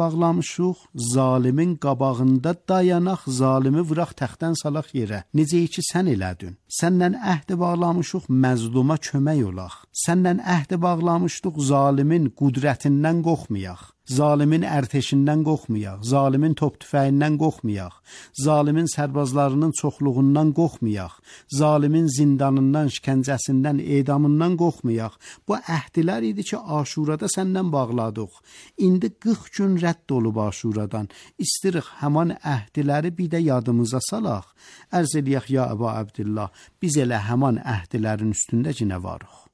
bağlamışıq, zalimin qabağında dayanaq, zalimi vuraq təxtdən salaq yerə. Necə ki sən elədin. Səndən əhd bağlamışıq, məzluma kömək olaq. Səndən əhd bağlamışdıq, zalimin qudrətindən qorxmayaq. Zalimin ərteşindən qorxmayaq, zalimin top tüfəyindən qorxmayaq, zalimin sərbazlarının çoxluğundan qorxmayaq, zalimin zindanından, şikəncəsindən, edamından qorxmayaq. Bu əhdlər idi ki, Aşurada səndən bağladıq. İndi 40 gün rədd olub Aşuradan. İstirik həman əhdləri bir də yadımıza salaq. Ərz eləyək ya Əbu Abdillah, biz elə həman əhdlərin üstündə ki, nə varıq?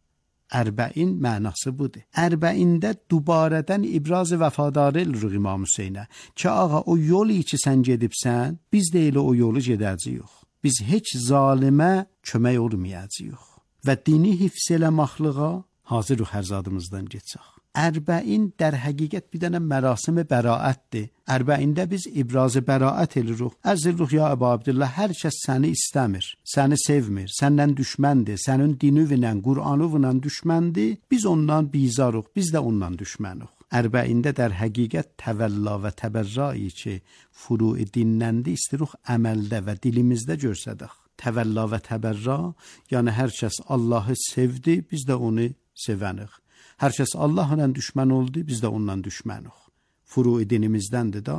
Ərbəin mənası budur. Ərbəində dubarədən ibraz vəfadarı eləyirik İmam Hüseynə. Ki ağa o yolu ki sən gedibsən, biz də elə o yolu gedəcəyik. Biz heç zalimə kömək olmayacağıq. Və dini hifz eləməklığa hazırıq hər zadımızdan keçək. Ərbəin در həqiqət bir dənə mərasim bəraətdir. Ərbəində biz ibraz bəraət eləyirik. Əzilruh ya Əbu Abdillah, hər kəs səni istəmir, səni sevmir, səndən düşməndir, sənin dinüvlə, Qur'anıvla düşməndir. Biz ondan bizarıq, biz də ondan düşmənik. Ərbəində در həqiqət təvəlla və təbərrai ki, furu dinləndi, istiruq əməldə və dilimizdə görsədək. Təvəlla və təbərra, yəni hər kəs Allahı sevdi, biz də onu sevənik. Hər kəs Allahla düşmən oldu, biz də ondan düşmənik. Furu dinimizdəndir da.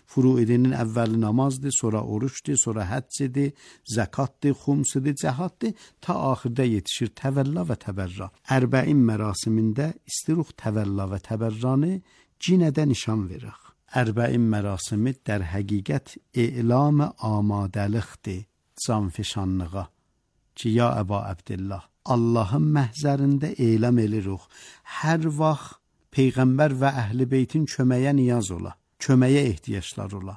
Furu dinin əvvəli namazdır, sonra oruçdur, sonra həccdir, zəkatdır, xumsdir, cəhaddır, ta axırda yetişir təvəlla və təbərra. Ərbəin mərasimində istiruq təvəlla və təbərranı cinədə nişan veririk. Ərbəin mərasimi در həqiqət e'lam amadəlikdir canfişanlığa. Ki ya Əbu Abdillah, Allahın məhzərində elam edirik. Hər vaxt Peyğəmbər və Əhl-i Beytin köməyə niyaz ola, köməyə ehtiyaclar ola.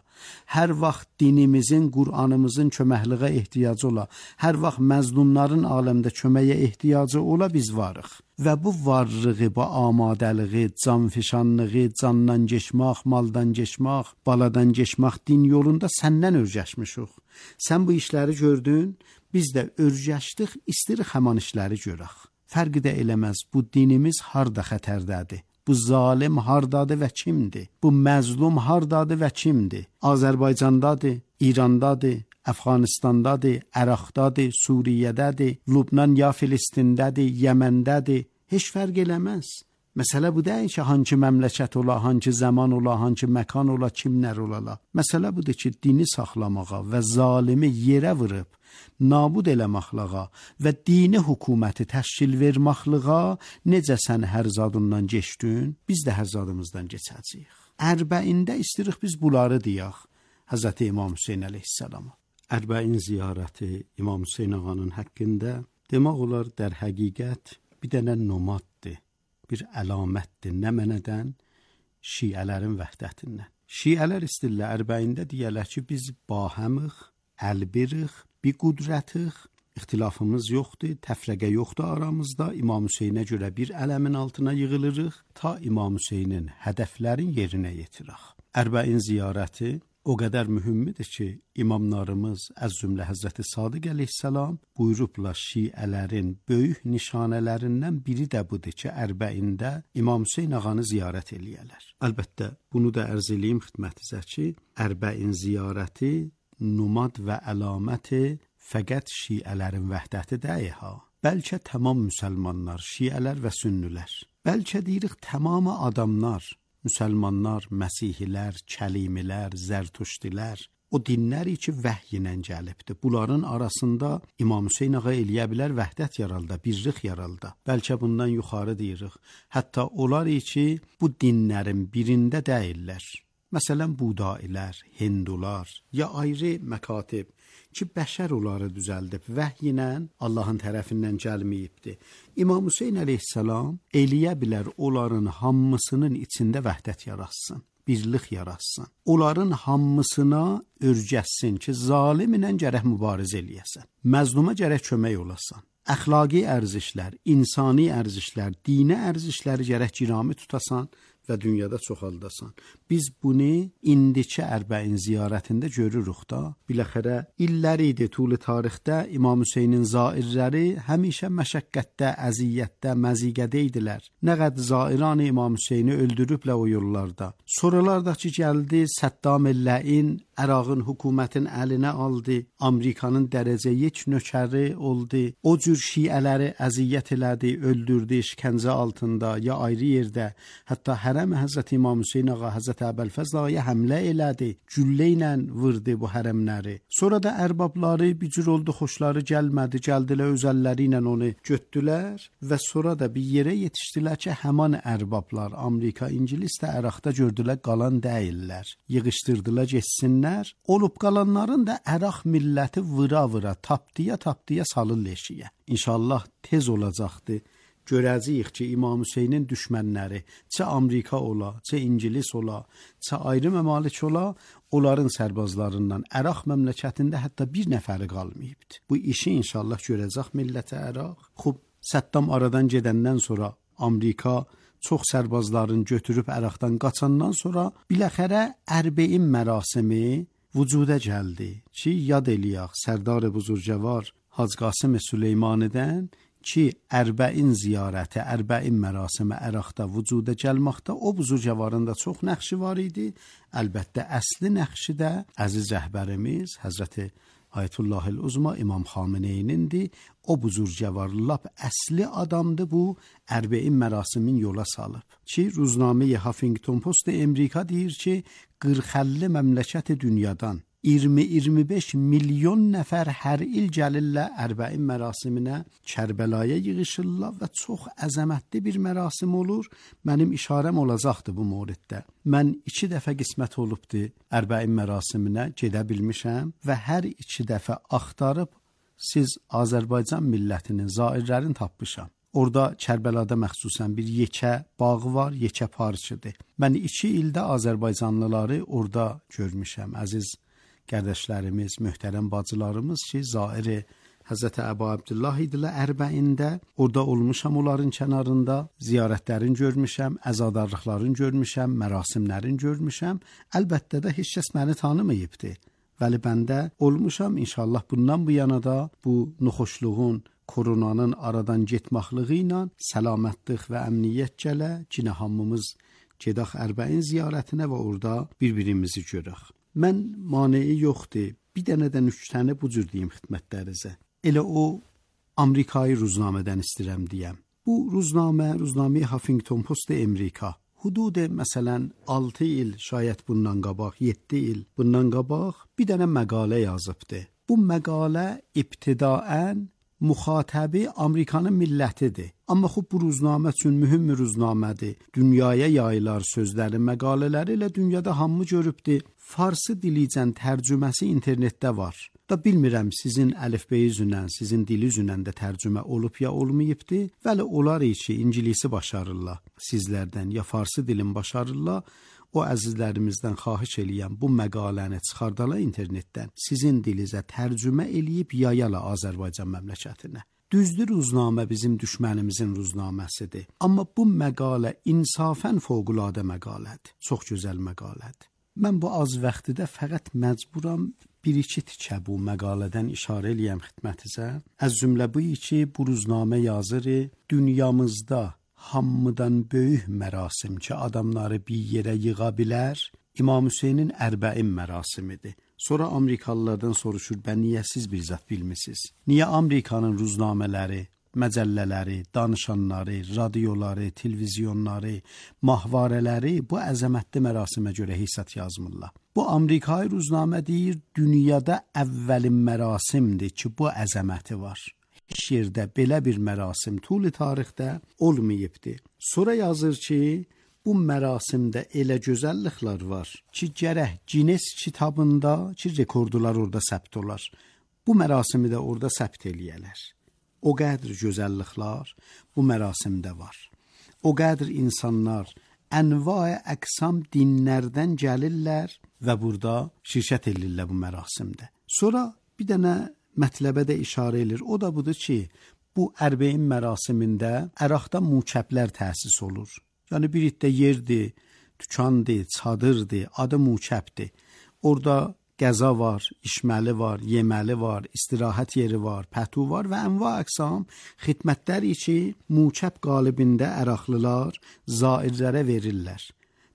Hər vaxt dinimizin, Qur'anımızın köməkliğə ehtiyacı ola. Hər vaxt məzlumların aləmdə köməyə ehtiyacı ola, biz varıq. Və bu varlığı, bu amadəliği, canfişanlığı, candan geçmək, maldan geçmək, baladan geçmək din yolunda səndən örgəşmişik. Sən bu işləri gördün, biz də örgəşdik, istirik həman işləri görək. Fərqi də eləməz, bu dinimiz harda xətərdədir? Bu zalim hardadır və kimdir? Bu məzlum hardadır və kimdir? Azərbaycandadır, İrandadır, Əfqanistandadır, Əraqdadır, Suriyədədir, Lübnan ya Filistindədir, Yəməndədir. Heç fərq eləməz. Məsələ bu deyil ki, hangi məmləkət ola, hangi zaman ola, hangi məkan ola, kimlər ola. Məsələ budur ki, dini saxlamağa və zalimi yerə vurub, nabud eləməklığa və dini hökuməti təşkil verməklığa necə sən hər zadından geçdin, biz də hər zadımızdan geçəcəyik. Ərbəində istirik biz bunları deyək Həzrəti İmam Hüseyin əleyhissalama. Ərbəin ziyarəti İmam Hüseyin ağanın haqqında demək olar در həqiqət bir dənə nomaddır, bir əlamətdir. Nə mənədən? Şiələrin vəhdətindən. Şiələr istillə ərbəində deyərlər ki, biz bahəmıq, əlbiriq, bir qudrətiq, ixtilafımız yoxdur, təfrəqə yoxdur aramızda. İmam Hüseynə görə bir ələmin altına yığılırıq, ta İmam Hüseynin hədəflərin yerinə yetirək. Ərbəin ziyarəti o qədər mühümmidir ki, imamlarımız əz cümlə Həzrəti Sadiq əleyhissalam buyurublar şiələrin böyük nişanələrindən biri də budur ki, Ərbəində İmam Hüseyn ağanı ziyarət eləyərlər. Əlbəttə, bunu da ərz eləyim xidmətinizə ki, Ərbəin ziyarəti numad və əlaməti fəqət şiələrin vəhdəti deyil ha. Bəlkə tamam müsəlmanlar, şiələr və sünnülər. Bəlkə deyirik tamamı adamlar, müsəlmanlar, məsihilər, kəlimilər, zərtuşdilər, o dinləri ki vəhy ilə gəlibdir. Bunların arasında İmam Hüseyn ağa eləyə bilər vəhdət yaralda, birlik yaralda. Bəlkə bundan yuxarı deyirik. Hətta onlar ki bu dinlərin birində deyirlər. Məsələn, Budailər, Hindular ya ayrı məkatib ki, bəşər onları düzəldib, vəhy ilə Allahın tərəfindən gəlməyibdir. İmam Hüseyn əleyhissalam eləyə bilər onların hamısının içində vəhdət yaratsın, birlik yaratsın. Onların hamısına örgəssin ki, zalim ilə gərək mübarizə eləyəsən, məzluma gərək kömək olasan. Əxlaqi ərzişlər, insani ərzişlər, dini ərzişləri gərək girami tutasan və dünyada çoxaldasan. Biz bunu indiki Ərbəin ziyarətində görürük da. Biləxərə illər idi tuli tarixdə İmam Hüseynin zairləri həmişə məşəqqətdə, əziyyətdə, məziqədə idilər. Nə qədər zairan İmam Hüseyni öldürüblər o yollarda. Sonralar da ki gəldi Səddam el-Ləin Ərağın hökumətin əlinə aldı. Amerikanın dərəcə 1 nökəri oldu. O cür şiələri əziyyət elədi, öldürdü işgəncə altında ya ayrı yerdə. Hətta hərəm Həzrət İmam Hüseyn ağa, Həzrət Əbəlfəzl ağaya həmlə elədi. Güllə ilə vurdu bu hərəmləri. Sonra da ərbabları bir cür oldu, xoşları gəlmədi. Gəldilər öz əlləri ilə onu götdülər və sonra da bir yerə yetişdilər ki, həman ərbablar Amerika, İngilis də Əraqda gördülər qalan deyillər. Yığışdırdılar getsinlər. Olub qalanların da Əraq milləti vıra-vıra, tapdıya salır leşiyə. İnşallah tez olacaqdı. Görəcəyik ki, İmam Hüseynin düşmənləri, çə Amerika ola, çə İngilis ola, çə ayrı məmalik ola, onların sərbazlarından Əraq məmləkətində hətta bir nəfəri qalmayıbdı. Bu işi inşallah görəcək millət Əraq. Xub, Səddam aradan gedəndən sonra Amerika çox sərbazların götürüb Əraqdan qaçandan sonra biləxərə Ərbəin mərasimi vücuda gəldi ki, yad eləyək Sərdar Buzurgəvar Hacı Qasım Süleymanidən ki, Ərbəin ziyarəti, Ərbəin mərasimi Əraqda vücuda gəlməkdə o Buzurgəvarın da çox nəqşi var idi. Əlbəttə əsli nəqşi də əziz rəhbərimiz Həzrəti Ayətullahil Uzma İmam Xameneynindir. O buzurgəvar lap əsli adamdır, bu Ərbəin mərasimin yola salıb. Ki, Ruznamə-i Huffington Post Amerika deyir ki, 40-50 məmləkət dünyadan 20-25 milyon nəfər hər il gəlirlər Ərbəin mərasiminə, Kərbəlaya yığışırlar və çox əzəmətli bir mərasim olur. Mənim işarəm olacaqdı bu mövriddə. Mən 2 dəfə qismət olubdu Ərbəin mərasiminə gedə bilmişəm və hər 2 dəfə axtarıb siz Azərbaycan millətinin zairlərini tapmışam. Orada Kərbəlada məxsusən bir yekə bağı var, yekə parçıdır. Mən 2 ildə Azərbaycanlıları orada görmüşəm, əziz qardaşlarımız, möhtərəm bacılarımız ki, zairi Həzrəti Əbu Abdullah idilər Ərbəində. Orada olmuşam onların kənarında, ziyarətlərini görmüşəm, əzadarlıqlarını görmüşəm, mərasimlərini görmüşəm. Əlbəttə də heç kəs məni tanımayıbdı. Vəli bəndə olmuşam, inşallah bundan bu yana da bu nuxoşluğun, koronanın aradan getməklığı ilə səlamətlik və əmniyyət gələ, ki, hamımız gedək Ərbəin ziyarətinə və orada bir-birimizi görək. Mən maneyi yoxdur. Bir dənə də nüktəni bu cür deyim xidmətlərinizə. Elə o Amerikayı ruznamədən istəyirəm deyəm. Bu Ruznamə-i Huffington Post Amerika hudud məsələn 6 il şayət bundan qabaq, 7 il bundan qabaq bir dənə məqalə yazıbdı. Bu məqalə ibtidaən müxatəbi Amerikanın millətidir. Amma xub bu ruznamə üçün mühüm bir ruznamədir. Dünyaya yayılar sözləri, məqalələri ilə dünyada hamı görübdür. Farsı dilicən tərcüməsi internetdə var. Da bilmirəm sizin əlifbeyi üzündən, sizin dili üzündən də tərcümə olub ya olmayıbdı. Vəli olar ki, İngilisi başarırlar sizlərdən ya farsı dilin başarırlar. O əzizlərimizdən xahiş eləyəm bu məqaləni çıxardala internetdən sizin dilinizə tərcümə eləyib yayala Azərbaycan məmləkətinə. Düzdür, ruznamə bizim düşmənimizin ruznaməsidir. Amma bu məqalə insafən fövqəladə məqalədir. Çox gözəl məqalədir. Mən bu az vaxtda fəqət məcburam bir-iki tikə bu məqalədən işarə eləyəm xidmətinizə. Az cümlə bu ki, bu ruznamə yazırı dünyamızda hamıdan böyük mərasim ki, adamları bir yerə yığa bilər, İmam Hüseynin Ərbəin mərasimidir. Sonra Amerikalılardan soruşur, bən niyə siz bir zat bilmisiniz? Niyə Amerikanın ruznamələri, məcəllələri, danışanları, radioları, televizyonları, mahvarələri bu əzəmətli mərasimə görə hissət yazmırlar? Bu Amerikayı ruznamə deyir, dünyada əvvəlin mərasimdir ki, bu əzəməti var. Heç yerdə belə bir mərasim tuli tarixdə olmayıbdı. Sonra yazır ki, bu mərasimdə elə gözəlliklər var ki, gərək Guinness kitabında ki, rekordlar orada səbt olar. Bu mərasimi də orada səbt eləyələr. O qədər gözəlliklər bu mərasimdə var. O qədər insanlar ənva-i əqsam dinlərdən gəlirlər və burada şirkət edirlər bu mərasimdə. Sonra bir dənə mətləbə də işarə edir. O da budur ki, bu Ərbəin mərasimində Əraqda mukəblər təsis olur. Yəni bir iddə yerdir, dükandır, çadırdır, adı Mukəbdir. Orada qəza var, içməli var, yeməli var, istirahət yeri var, pətu var və ənva əqsam xidmətlər ki, Mukəb qalibində əraqlılar zairlərə verirlər.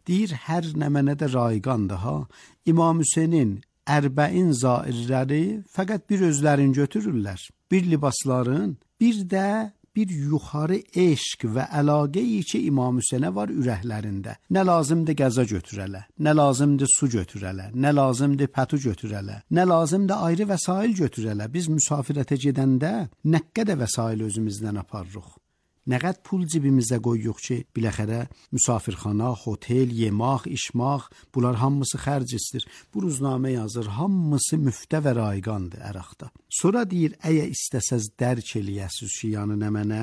Deyir, hər nə mənə də rayqandır ha. İmam Hüseynin 40 zairləri fəqət bir özlərini götürürlər. Bir libasların, bir də bir yuxarı eşq və əlaqəyi ki, İmam Hüseynə var ürəklərində. Nə lazımdır qəza götürələ, nə lazımdır su götürələ, nə lazımdır pətu götürələ, nə lazımdır ayrı vəsail götürələ. Biz müsafirətə gedəndə nə qədər vəsail özümüzdən aparırıq. Nə qədər pul cibimizə qoyuruq ki, biləxərə müsafirxana, hotel, yemək, içmək, bunlar hamısı xərc istir. Bu ruznamə yazır, hamısı müftə və rayqandır əraqda. Sonra deyir, əgər istəsəz dərk eləyəsiz ki, yəni nə mənə,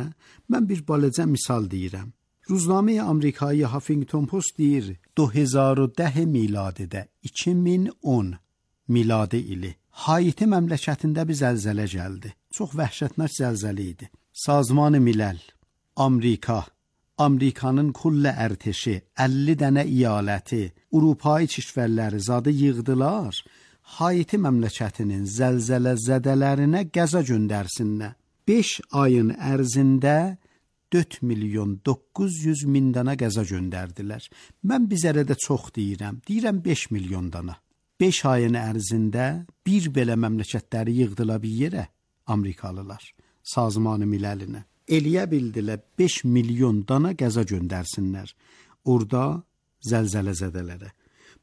mən bir balaca misal deyirəm. Ruznamə Amerikayı Huffington Post deyir, 2010 miladidə, 2010 miladi ili Haiti məmləkətində bir zəlzələ gəldi. Çox vəhşətnak zəlzələ idi. Sazman-ı Milal, Amerikanın kullə ərteşi, 50 dənə iyaləti, Avropai kişvərləri zadı yığdılar, Haiti məmləkətinin zəlzələ zədələrinə qəza göndərsinlər. 5 ayın ərzində 4.900.000 dana qəza göndərdilər. Mən bizərədə çox deyirəm 5 milyon dana. 5 ayın ərzində bir belə məmləkətləri yığdılar bir yerə, Amerikalılar, Sazman-ı Miləlinə. Eləyə bildilər 5 milyon dana qəza göndərsinlər orada zəlzələ zədələrə.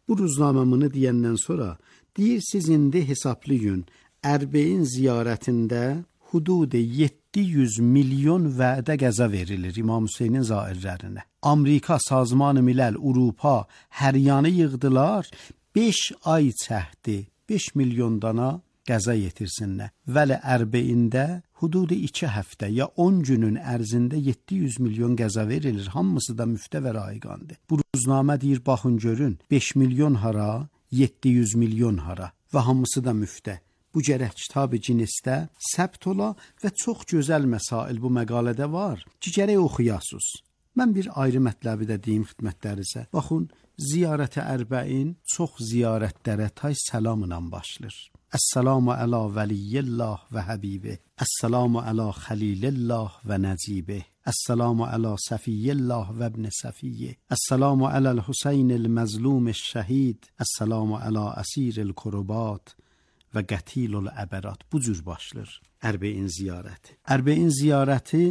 Bu ruznaməmini deyəndən sonra deyir, siz indi hesablayın, Ərbəin ziyarətində hudud 700 milyon vədə qəza verilir İmam Hüseynin zairlərinə. Amerika, Sazman-ı Milal, Avropa hər yanı yığdılar, 5 ay çəkdi 5 milyon dana qəza yetirsinlər. Vəli Ərbəində hudud 2 həftə ya 10 günün ərzində 700 milyon qəza verilir. Hamısı da müftə və rayqandır. Bu ruznamə deyir, baxın görün, 5 milyon hara, 700 milyon hara və hamısı da müftə. Bu gərək kitab-ı Ginesdə səbt ola və çox gözəl məsail bu məqalədə var ki, gərək oxuyasınız. Mən bir ayrı mətləbi də deyim xidmətlərinizə. Baxın, ziyarət-i Ərbəin çox ziyarətlərə tay səlamla başlayır. Əssalamu əla vəliyyillah və həbibih. Əssalamu əla xəlilillah və nəcibih. Əssalamu əla səfiyyillah və ibn səfiyyə. Əssalamu ələl Hüseynil məzlum şəhid. Əssalamu əla əsiril kurubat və qətilul əbərat. Bu cür başlayır Ərbəin ziyarəti. Ərbəin ziyarəti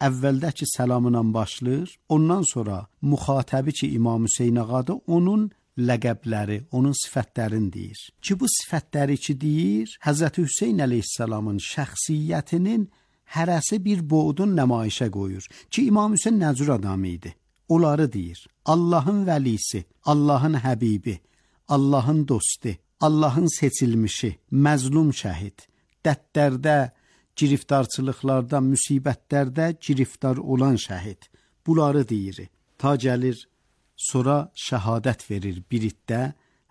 əvvəldəki səlamla başlayır. Ondan sonra müxatəbi ki, İmam Hüseyn ağadır, onun ləqəbləri, onun sifətlərini deyir. Ki bu sifətləri ki deyir, Həzrəti Hüseyn əleyhissalamın şəxsiyyətinin hərəsi bir boğdun nəmayişə qoyur. Ki İmam Hüseyn nə cür adam idi? Onları deyir. Allahın vəlisi, Allahın həbibi, Allahın dostu, Allahın seçilmişi, məzlum şəhid, dərdlərdə, giriftarçılıqlarda, müsibətlərdə giriftar olan şəhid. Bunları deyir. Ta gəlir, sonra şəhadət verir bir iddə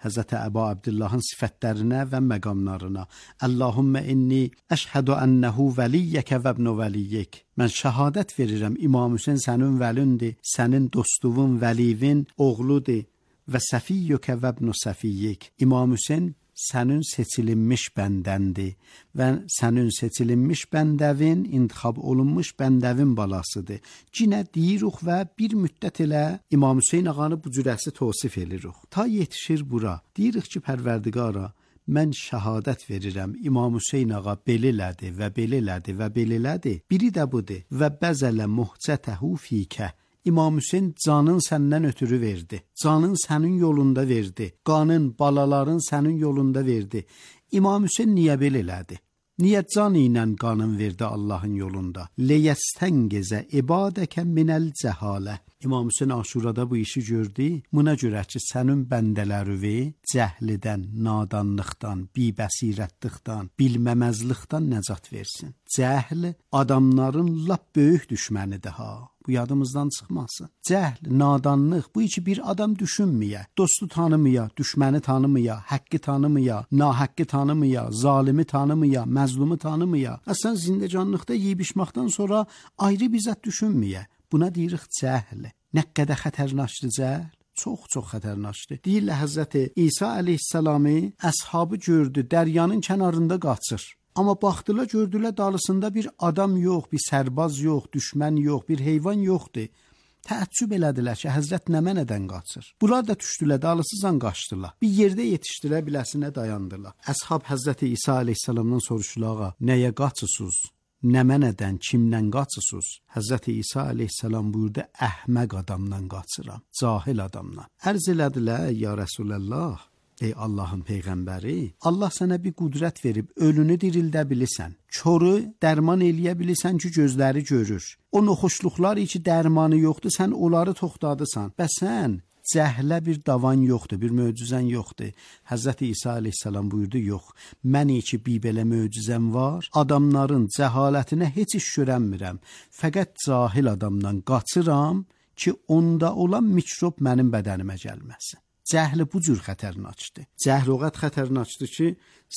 Həzrəti Əbu Abdullahın sifətlərinə və məqamlarına. Allahümmə inni əşhədu ənəhu vəliyyəkə və ibnu vəliyyik. Mən şəhadət verirəm, İmam Hüseyn sənin vəlindir, sənin dostluğun, vəlivin oğludur və səfiyyükə və ibnu səfiyyik. İmam Hüseyn sənin seçilinmiş bəndəndir və sənin seçilinmiş bəndəvin, intixab olunmuş bəndəvin balasıdır. Cinə deyirik və bir müddət elə İmam Hüseyn ağanı bu cürəsi tosif edirik. Ta yetişir bura. Deyirik ki, Pərverdigara, mən şəhadət verirəm, İmam Hüseyn ağa belədir və belədir və belədir. Biri də budur. Və bəzələ muhcətəhu fikə. İmam Hüseyn canın səndən ötürü verdi. Canın sənin yolunda verdi. Qanın, balaların sənin yolunda verdi. İmam Hüseyn niyə belə elədi? Niyə can ilə qanın verdi Allahın yolunda? Leyəstəngezə ibadəkə minəl cəhalə. İmam Hüseyn Aşurada bu işi gördü. Buna görə ki, sənin bəndələrivi cəhlidən, nadanlıqdan, bibəsirətlikdən, bilməməzlikdən nəcat versin. Cəhl adamların lap böyük düşmənidir ha. Bu yadımızdan çıxmasın. Cəhl, nadanlıq, bu iki bir adam düşünməyə, dostu tanımaya, düşməni tanımaya, haqqı tanımaya, nahaqqı tanımaya, zalimi tanımaya, məzlumu tanımaya. Əslən zindəcanlıqda yeyib içməkdən sonra ayrı bir zət düşünməyə. Buna deyirik cəhl. Nə qədər xətərnaşdır cəhl? Çox xətərnaşdır. Deyirlər Həzrət İsa əleyhissalamı əshabı gördü, dəryanın kənarında qaçır. Amma baxdılar, gördülər dalısında bir adam yox, bir sərbaz yox, düşmən yox, bir heyvan yoxdur. Təəccüb elədilər ki, Həzrət nə mənədən qaçır? Bunlar da düşdülər, dalısızan qaçdılar. Bir yerdə yetişdirə biləsinə dayandılar. Əshab Həzrət İsa əleyhissalamdan soruşdular: "Nəyə qaçırsınız? Nə mənədən, kimdən qaçırsınız?" Həzrət İsa əleyhissalam buyurdu: "Əhməq adamdan qaçıram, cahil adamdan." Ərz elədilər: "Ya Rəsuləllah, ey Allahın peyğəmbəri, Allah sənə bir qüdrət verib, ölünü dirildə bilirsən, çoru dərman eləyə bilirsən ki, gözləri görür. O noxuşluqlar ki, dərmanı yoxdur, sən onları toxtadırsan. Bəs sən cəhlə bir davan yoxdur, bir möcüzən yoxdur." Həzrət İsa əleyhissalam buyurdu: "Yox, mən ki bir belə möcüzəm var, adamların cəhalətinə heç iş görənmirəm. Fəqət cahil adamdan qaçıram ki, onda olan mikrob mənim bədənimə gəlməsin." Cəhli bu cür xətərnaçdır. Cəhl o qədər xətərnaçdır ki,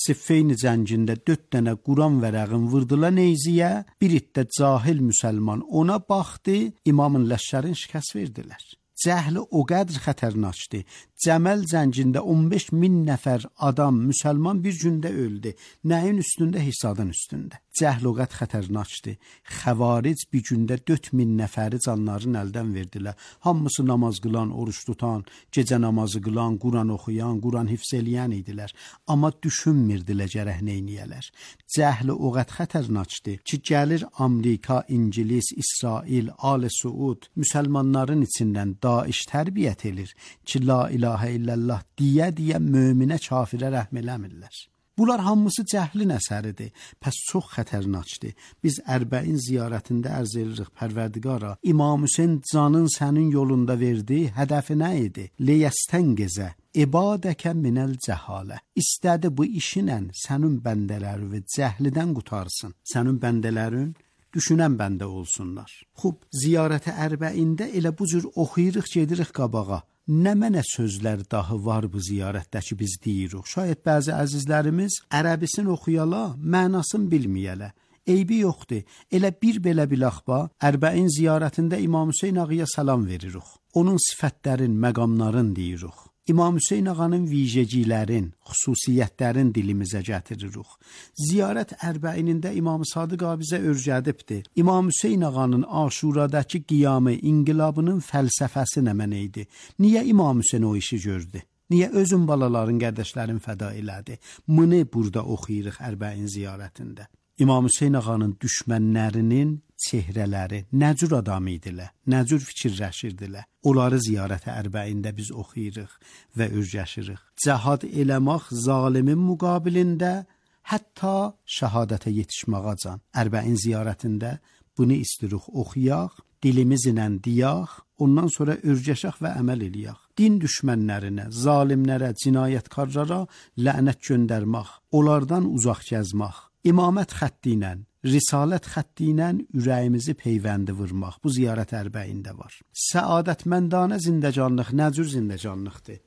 Siffeyn cəngində 4 dənə Quran vərəğin vurdular neyziyə, bir itdə cahil müsəlman ona baxdı, İmamın Ləşkərin şikəst verdilər. Cəhli o qədər xətərnaçdır. Cəməl cəngində 15.000 nəfər adam, müsəlman bir gündə öldü. Nəyin üstündə? Hisadın üstündə. Cəhl o qədər xətərnaçdır. Xəvaric bir gündə 4.000 nəfəri canlarını əldən verdilər. Hamısı namaz qılan, oruç tutan, gecə namazı qılan, Quran oxuyan, Quran hifz eləyən idilər. Amma düşünmürdülər gərək neyniyələr. Cəhli o qədər xətərnaçdır ki, gəlir Amerika, İngilis, İsrail, Ali Suud müsəlmanların içindən Daeş tərbiyyət edir ki, la ilahə illallah deyə möminə kafirə rəhm eləmirlər. Bunlar hamısı cəhlin əsəridir. Pəs çox xətərnaçdır. Biz Ərbəin ziyarətində ərz edirik Pərverdigara, İmam Hüseyn canın sənin yolunda verdi, hədəfi nə idi? Leyəstəngezə ibadəkə minəl cəhalə. İstədi bu işinlə sənin bəndələri cəhlidən qutarsın. Sənin bəndələrin düşünən bəndə olsunlar. Xub, ziyarətə Ərbəində elə bu cür oxuyuruq, gedirik qabağa. Nə mənə sözlər dahi var bu ziyarətdə ki, biz deyirik. Şayət bəzi əzizlərimiz ərəbisini oxuyala, mənasını bilməyələ. Eybi yoxdur. Elə bir belə bilaxba, Ərbəin ziyarətində İmam Hüseyn ağaya salam veririk. Onun sifətlərin, məqamların deyirik. İmam Hüseyn ağanın vicəcilərin, xüsusiyyətlərin dilimizə gətiririk. Ziyarət Ərbəinində İmam Sadiq bizə örgədibdir. İmam Hüseyn ağanın Aşuradakı qiyamı, inqilabının fəlsəfəsi nə mənə idi? Niyə İmam Hüseyn o işi gördü? Niyə özün balaların, qardaşların fəda elədi? Bunu burada oxuyuruq Ərbəin ziyarətində. İmam Hüseyn ağanın düşmənlərinin çehrələri nə cür adam idilər, nə cür fikirləşirdilər. Onları ziyarətə Ərbəində biz oxuyuruq və örgəşirik. Cəhad eləmək zalimin müqabilində hətta şəhadətə yetişməğacan. Ərbəin ziyarətində bunu istirik oxuyaq, dilimizlə deyək, ondan sonra örgəşək və əməl eləyək. Din düşmənlərinə, zalimlərə, cinayətkarlara lənət göndərmək, onlardan uzaq gəzmək, İmamət xətti ilə, risalət xətti ilə ürəyimizi peyvəndi vurmaq bu ziyarət Ərbəində var. Səadətməndana zindəcanlıq nə cür zindəcanlıqdır?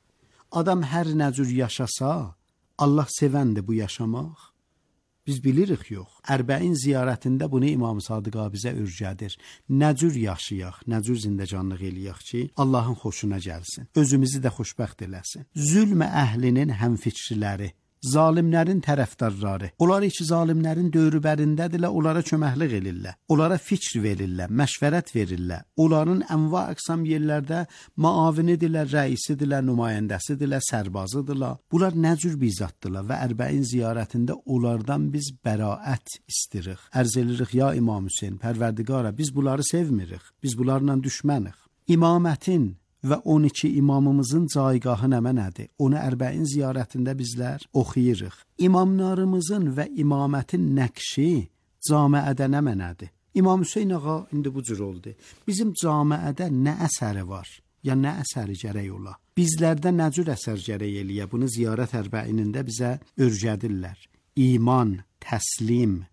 Adam hər nə cür yaşasa, Allah sevəndir bu yaşamaq. Biz bilirik yox. Ərbəin ziyarətində bunu İmam Sadiq bizə örgədir. Nə cür yaşayaq, nə cür zindəcanlıq eləyək ki, Allahın xoşuna gəlsin, özümüzü də xoşbəxt eləsin. Zülm əhlinin həmfikriləri, zalimlərin tərəfdarları, onlar ki, zalimlərin dövrübərindədirlər, onlara köməklik edirlər, onlara fikr verirlər, məşvərət verirlər, onların ənva əqsam yerlərdə maavinidirlər, rəisidirlər, nümayəndəsidirlər, sərbazıdırlar. Bunlar nə cür bizaddırlar və Ərbəin ziyarətində onlardan biz bəraət istirik. Ərz edirik, ya İmam Hüseyn, Pərverdigara, biz bunları sevmirik, biz bunlarla düşmənik. İmamətin və 12 imamımızın caygahı nə mənədir? Onu Ərbəin ziyarətində bizlər oxuyuruq. İmamlarımızın və imamətin nəqşi camiədə nə mənədir? İmam Hüseyn ağa indi bu cür oldu. Bizim camiədə nə əsəri var? Ya nə əsəri gərək ola? Bizlərdə nə cür əsər gərək eləyə? Bunu ziyarət Ərbəinində bizə örgədirlər. İman, təslim,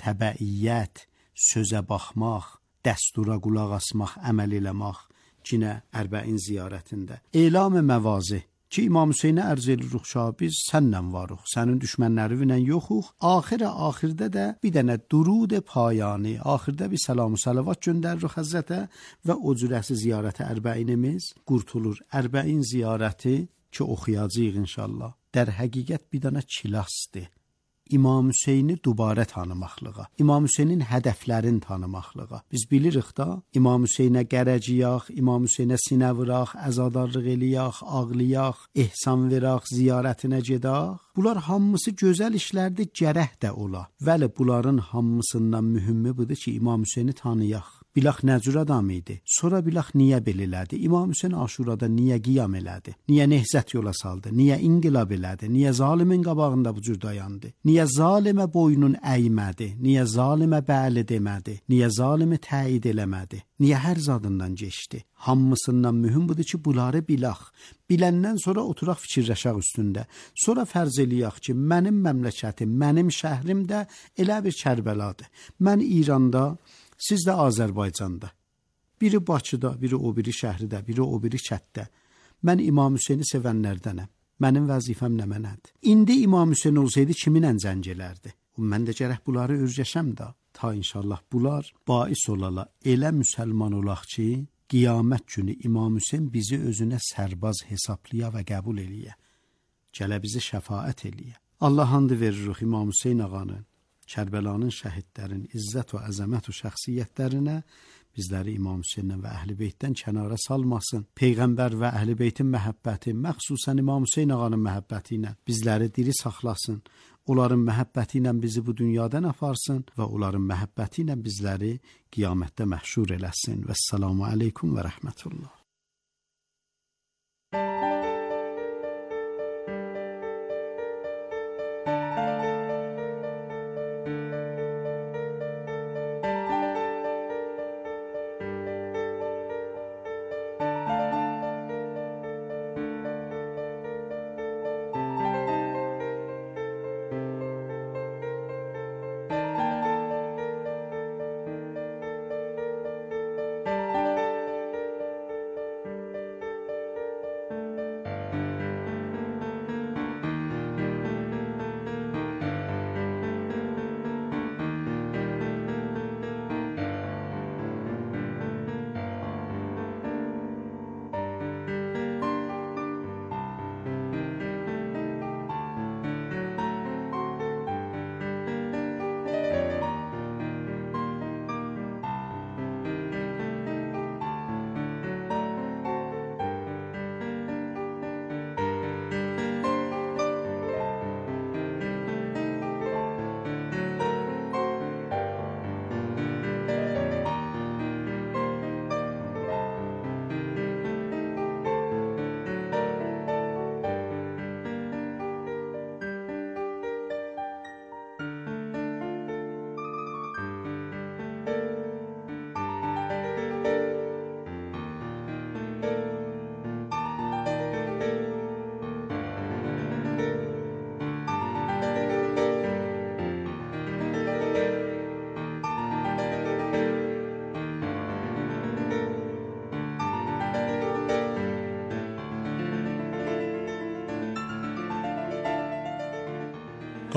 təbəiyyət, sözə baxmaq, dəstura qulaq asmaq, əməl eləmək. Cinə Ərbəin ziyarətində. Elam-ı məvazi, ki İmam Hüseynə ərz edirik ki, biz sənnən varıq, sənin düşmənlərinlə yoxuq. Axirdə də bir dənə durud payani, axirdə bir salam salavat göndəririk Həzrətə və o cürəsi ziyarət ərbəinimiz qurtulur. Ərbəin ziyarəti ki oxuyacağıq inşallah. در həqiqət bir dənə kilasdır. İmam Hüseyni dubarə tanımaqlığa, İmam Hüseynin hədəflərini tanımaqlığa. Biz bilirik da, İmam Hüseynə qərəciyaq, İmam Hüseynə sinə vıraq, əzadarlıq eləyaq, ağlayaq, ehsan veraq, ziyarətinə gedaq. Bunlar hamısı gözəl işlərdir, gərək də ola. Vəli bunların hamısından mühümmi budur ki, İmam Hüseyni tanıyaq. Bilaq nə cür adam idi? Sonra bilaq niyə belə elədi? İmam Hüseyn Aşurada niyə qiyam elədi? Niyə nehzət yola saldı? Niyə inqilab elədi? Niyə zalimin qabağında bu cür dayandı? Niyə zalimə boynun əymədi? Niyə zalimə bəli demədi? Niyə zalimi təyid eləmədi? Niyə hər zadından keçdi? Hamısından mühüm budur ki, bunları bilaq. Biləndən sonra oturaq fikirləşək üstündə. Sonra fərz eləyək ki, mənim məmləkətim, mənim şəhrim də elə bir Kərbəladır. Mən İranda, siz də Azərbaycanda. Biri Bakıda, biri o biri şəhridə, biri o biri kətdə. Mən İmam Hüseyni sevənlərdənəm. Mənim vəzifəm nə mənədir? İndi İmam Hüseyn olsaydı kiminlə zəng elərdi? Mən də gərək bunları öyrəşəm də. Ta inşallah bunlar bais olala. Elə müsəlman olaq ki, qiyamət günü İmam Hüseyn bizi özünə sərbaz hesablaya və qəbul eləyə. Gələ bizi şəfaət eləyə. Allah hamd veririk İmam Hüseyn ağanın, Kərbəlanın şəhidlərin izzət və əzəmət və şəxsiyyətlərinə, bizləri İmam Hüseyndən və Əhl-i Beytdən kənara salmasın. Peyğəmbər və Əhl-i Beytin məhəbbəti, məxsusən İmam Hüseyn ağanın məhəbbəti ilə bizləri diri saxlasın. Onların məhəbbəti ilə bizi bu dünyadan aparsın və onların məhəbbəti ilə bizləri qiyamətdə məhşur eləsin. Vəssalamu aleykum və rəhmətullah.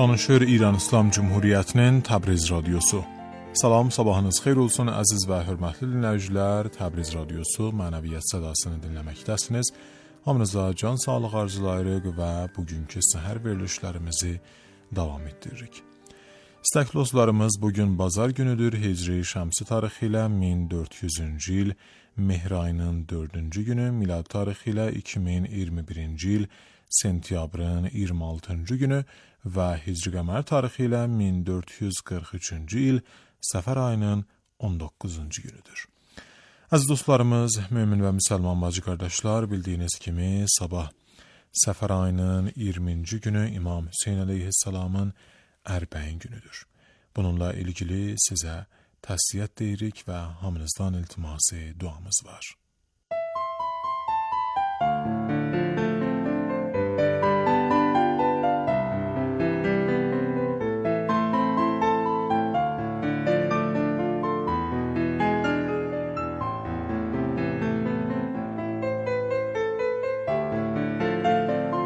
Danışır İran İslam Cumhuriyyətinin Təbriz Radiosu. Salam, sabahınız xeyir olsun əziz və hörmətli dinləyicilər. Təbriz Radiosu mənəviyyat sədasını dinləməkdəsiniz. Hamınıza can sağlıq arzulayırıq və bugünkü səhər verilişlərimizi davam etdiririk. İstəkli dostlarımız, bugün bazar günüdür. Hicri şəmsi tarixi ilə 1400-cü il Mehr ayının 4-cü günü, milad tarixi ilə 2021-ci il sentyabrın 26-cı günü və hicri qəmər tarixi ilə 1443-cü il Səfər ayının 19-cu günüdür. Əziz dostlarımız, mömin və müsəlman bacı qardaşlar, bildiyiniz kimi sabah Səfər ayının 20-ci günü İmam Hüseyn əleyhissalamın ərbəin günüdür. Bununla ilgili sizə təsliyyət deyirik və hamınızdan iltiması duamız var.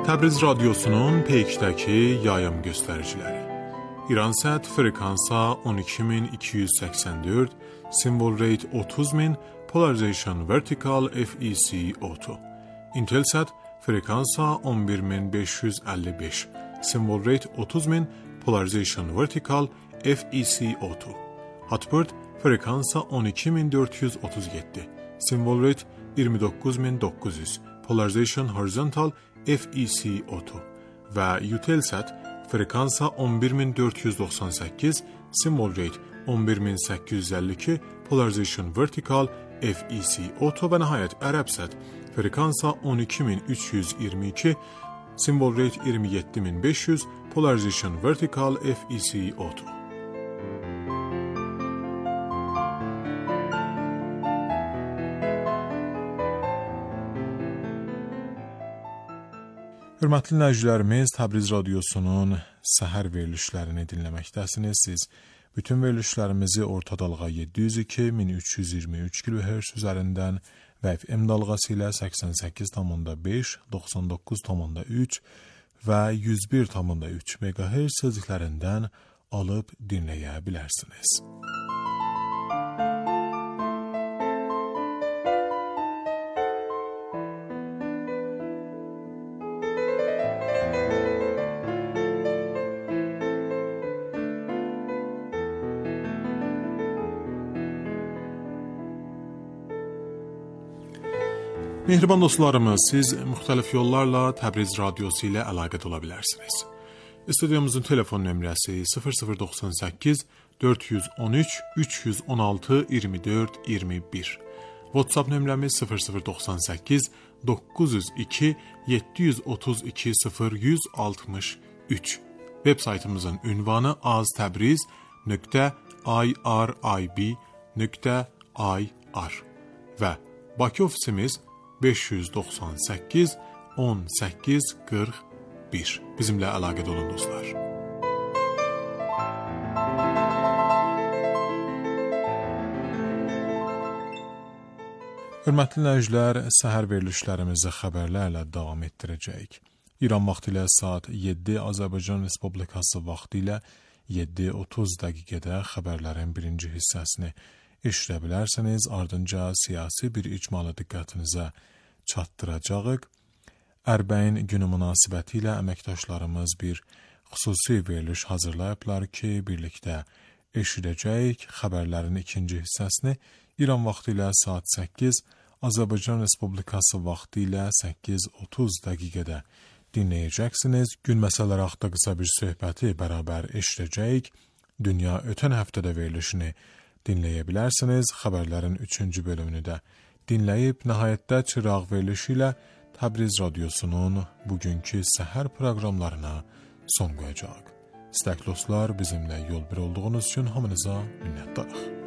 Təbriz radiosunun peykdəki yayım göstəriciləri. İransat frekansa 12284, symbol rate 30000, polarization vertical FEC auto. Intelsat frekansa 11555, symbol rate 30000, polarization vertical FEC auto. Hotbird frekansa 12437, symbol rate 29900, polarization horizontal FEC auto və Eutelsat frekansa 11498, symbol rate 11852, polarization vertical FEC auto və nəhayət Arabsat frekansa 12322, symbol rate 27500, polarization vertical FEC auto. Hörmətli dinləyicilərimiz, Təbriz radiosunun səhər verilişlərini dinləməkdəsiniz. Siz bütün verilişlərimizi orta dalğa 702-1323 kHz üzərindən və FM dalğası ilə 88,5, 99,3 və 101,3 MHz sözlüklərindən alıb dinləyə bilərsiniz. Mehriban dostlarımız, siz müxtəlif yollarla Təbriz radiosu ilə əlaqədə ola bilərsiniz. Studiyamızın telefon nömrəsi 0098 413 316 24 21. WhatsApp nömrəmiz 0098 902 732 0163. Web saytımızın ünvanı aztabriz.irib.ir və Bakı ofisimiz 598 18 41. Bizimlə əlaqədə olun dostlar. Hörmətli dinləyicilər, səhər verilişlərimizi xəbərlərlə davam etdirəcəyik. İran vaxtı ilə saat 7, Azərbaycan Respublikası vaxtı ilə 7:30 dəqiqədə xəbərlərin birinci hissəsini eşidə bilərsiniz. Ardınca siyasi bir icmalı diqqətinizə çatdıracağıq. Ərbəyin günü münasibəti ilə əməkdaşlarımız bir xüsusi veriliş hazırlayıblar ki, birlikdə eşidəcəyik. Xəbərlərin ikinci hissəsini İran vaxtı ilə saat 8, Azərbaycan Respublikası vaxtı ilə 8:30 dəqiqədə dinləyəcəksiniz. Gün məsələləri haqqında qısa bir söhbəti bərabər eşidəcəyik. Dünya ötən həftədə verilişini dinləyə bilərsiniz. Xəbərlərin 3-cü bölümünü də dinləyib, nəhayətdə çıraq verilişi ilə Təbriz radiosunun bugünkü səhər proqramlarına son qoyacaq. İstəkli dostlar, bizimlə yol bir olduğunuz üçün hamınıza minnətdarıq.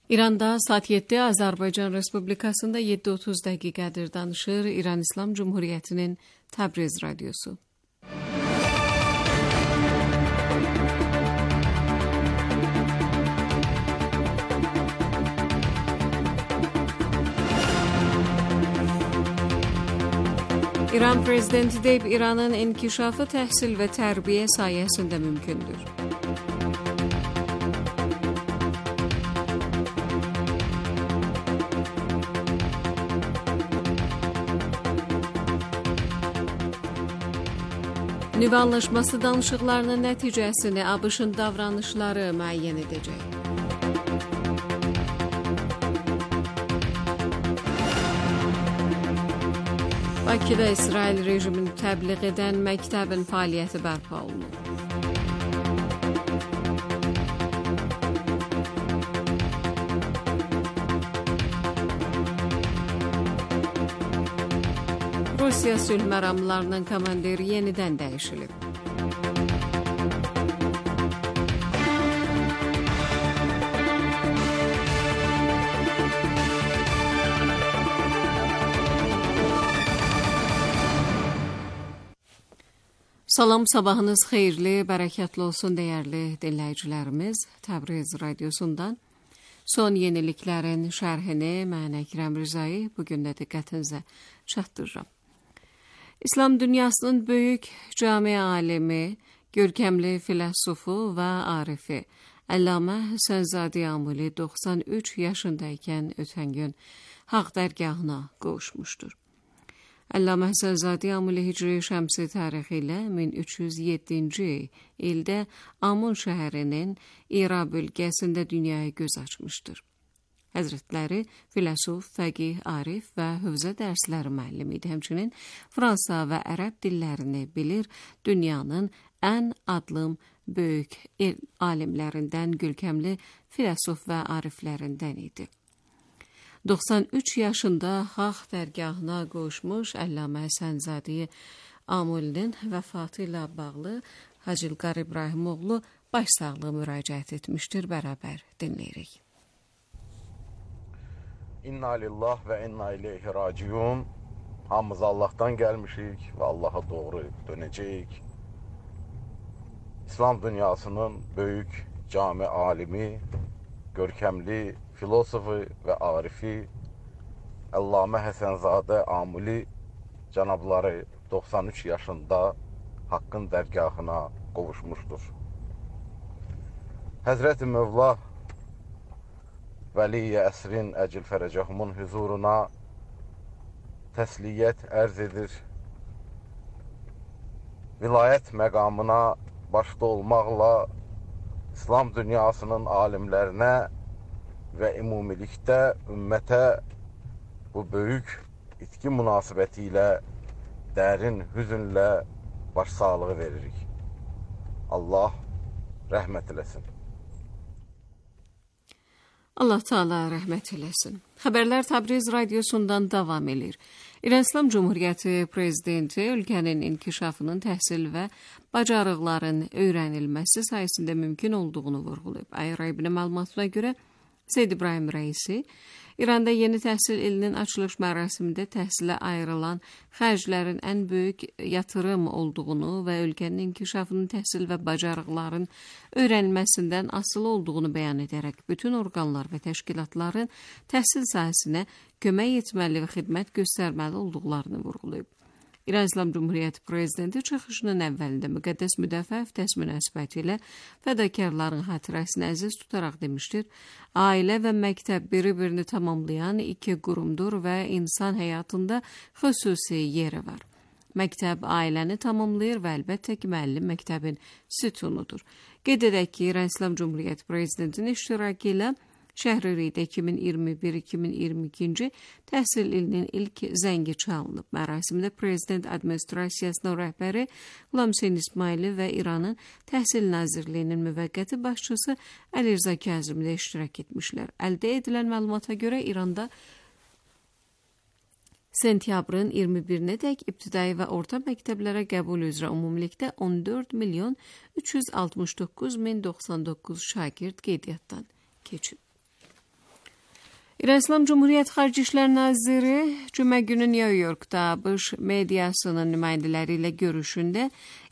İranda saat 7, Azərbaycan Respublikasında 7:30 dəqiqədir danışır İran İslam Cumhuriyyətinin Təbriz radiosu. İran prezidenti deyib, İranın inkişafı təhsil və tərbiyə sayəsində mümkündür. Nüvə anlaşması danışıqlarının nəticəsini ABŞ-ın davranışları müəyyən edəcək. Bakıda İsrail rejimini təbliğ edən məktəbin fəaliyyəti bərpa olunur. Rusiya sülh məramlarının komandiri yenidən dəyişilib. Salam, sabahınız xeyirli, bərəkətli olsun dəyərli dinləyicilərimiz. Təbriz radiosundan son yeniliklərin şərhini mən Əkrəm Rızayı bugün də diqqətinizə çatdırıram. İslam dünyasının böyük cami alimi, görkəmli filosofu və arifi Əllamə Həsənzadə Amuli 93 yaşındaykən ötən gün Haqq dərgahına qovuşmuşdur. Əllamə Həsənzadə Amuli Hicri Şəmsi tarixi ilə 1307-ci ildə Amun şəhərinin İra bölgəsində dünyaya göz açmışdır. Həzrətləri filosof, fəqih, arif və hövzə dərsləri müəllimi idi. Həmçinin Fransa və ərəb dillərini bilir, dünyanın ən adlım böyük alimlərindən, görkəmli filosof və ariflərindən idi. 93 yaşında Haqq dərgahına qovuşmuş Əllamə Həsənzadə Amulinin vəfatı ilə bağlı Hacı İlqar İbrahimoğlu başsağlığı müraciət etmişdir. Bərabər dinləyirik. İnna lillah və inna ileyhi raciun. Hamımız Allahdan gəlmişik və Allaha doğru dönəcəyik. İslam dünyasının böyük cami alimi, görkəmli filosofu və arifi Əllamə Həsənzadə Amuli cənabları 93 yaşında Haqqın dərgahına qovuşmuşdur. Həzrəti Mövla Vəli-i əsrin əcil fərəcəhumun huzuruna təsliyyət ərz edir. Vilayət məqamına başda olmaqla İslam dünyasının alimlərinə və ümumilikdə ümmətə bu böyük itki münasibəti ilə dərin hüzünlə başsağlığı veririk. Allah rəhmət eləsin. Allah Teala rəhmət eləsin. Xəbərlər Təbriz radiosundan davam edir. İran İslam Cumhuriyyəti prezidenti ölkənin inkişafının təhsil və bacarıqların öyrənilməsi sayəsində mümkün olduğunu vurğulayıb. IRIB-nin məlumatına görə Seyyid İbrahim Rəisi İranda yeni təhsil ilinin açılış mərasimində təhsilə ayrılan xərclərin ən böyük yatırım olduğunu və ölkənin inkişafının təhsil və bacarıqların öyrənilməsindən asılı olduğunu bəyan edərək bütün orqanlar və təşkilatların təhsil sahəsinə kömək etməli və xidmət göstərməli olduqlarını vurğulayıb. İran İslam Cumhuriyyəti prezidenti çıxışının əvvəlində müqəddəs müdafiə həftəsi münasibəti ilə fədakarların xatirəsini əziz tutaraq demişdir, ailə və məktəb bir-birini tamamlayan iki qurumdur və insan həyatında xüsusi yeri var. Məktəb ailəni tamamlayır və əlbəttə ki, müəllim məktəbin sütunudur. Qeyd edək ki, İran İslam Cumhuriyyəti prezidentinin iştirakı ilə Şəhrilikdə 2021-2022-ci təhsil ilinin ilk zəngi çalınıb. Mərasimdə prezident administrasiyasının rəhbəri Qulam Hüseyn İsmaili və İranın Təhsil Nazirliyinin müvəqqəti başçısı Əli Rza Kazimi də iştirak etmişlər. Əldə edilən məlumata görə İranda sentyabrın 21-nədək ibtidai və orta məktəblərə qəbul üzrə ümumilikdə 14.369.099 şagird qeydiyyatdan keçib. İran İslam Cumhuriyyəti Xarici İşlər Naziri cümə günü New Yorkda ABŞ mediasının nümayəndələri ilə görüşündə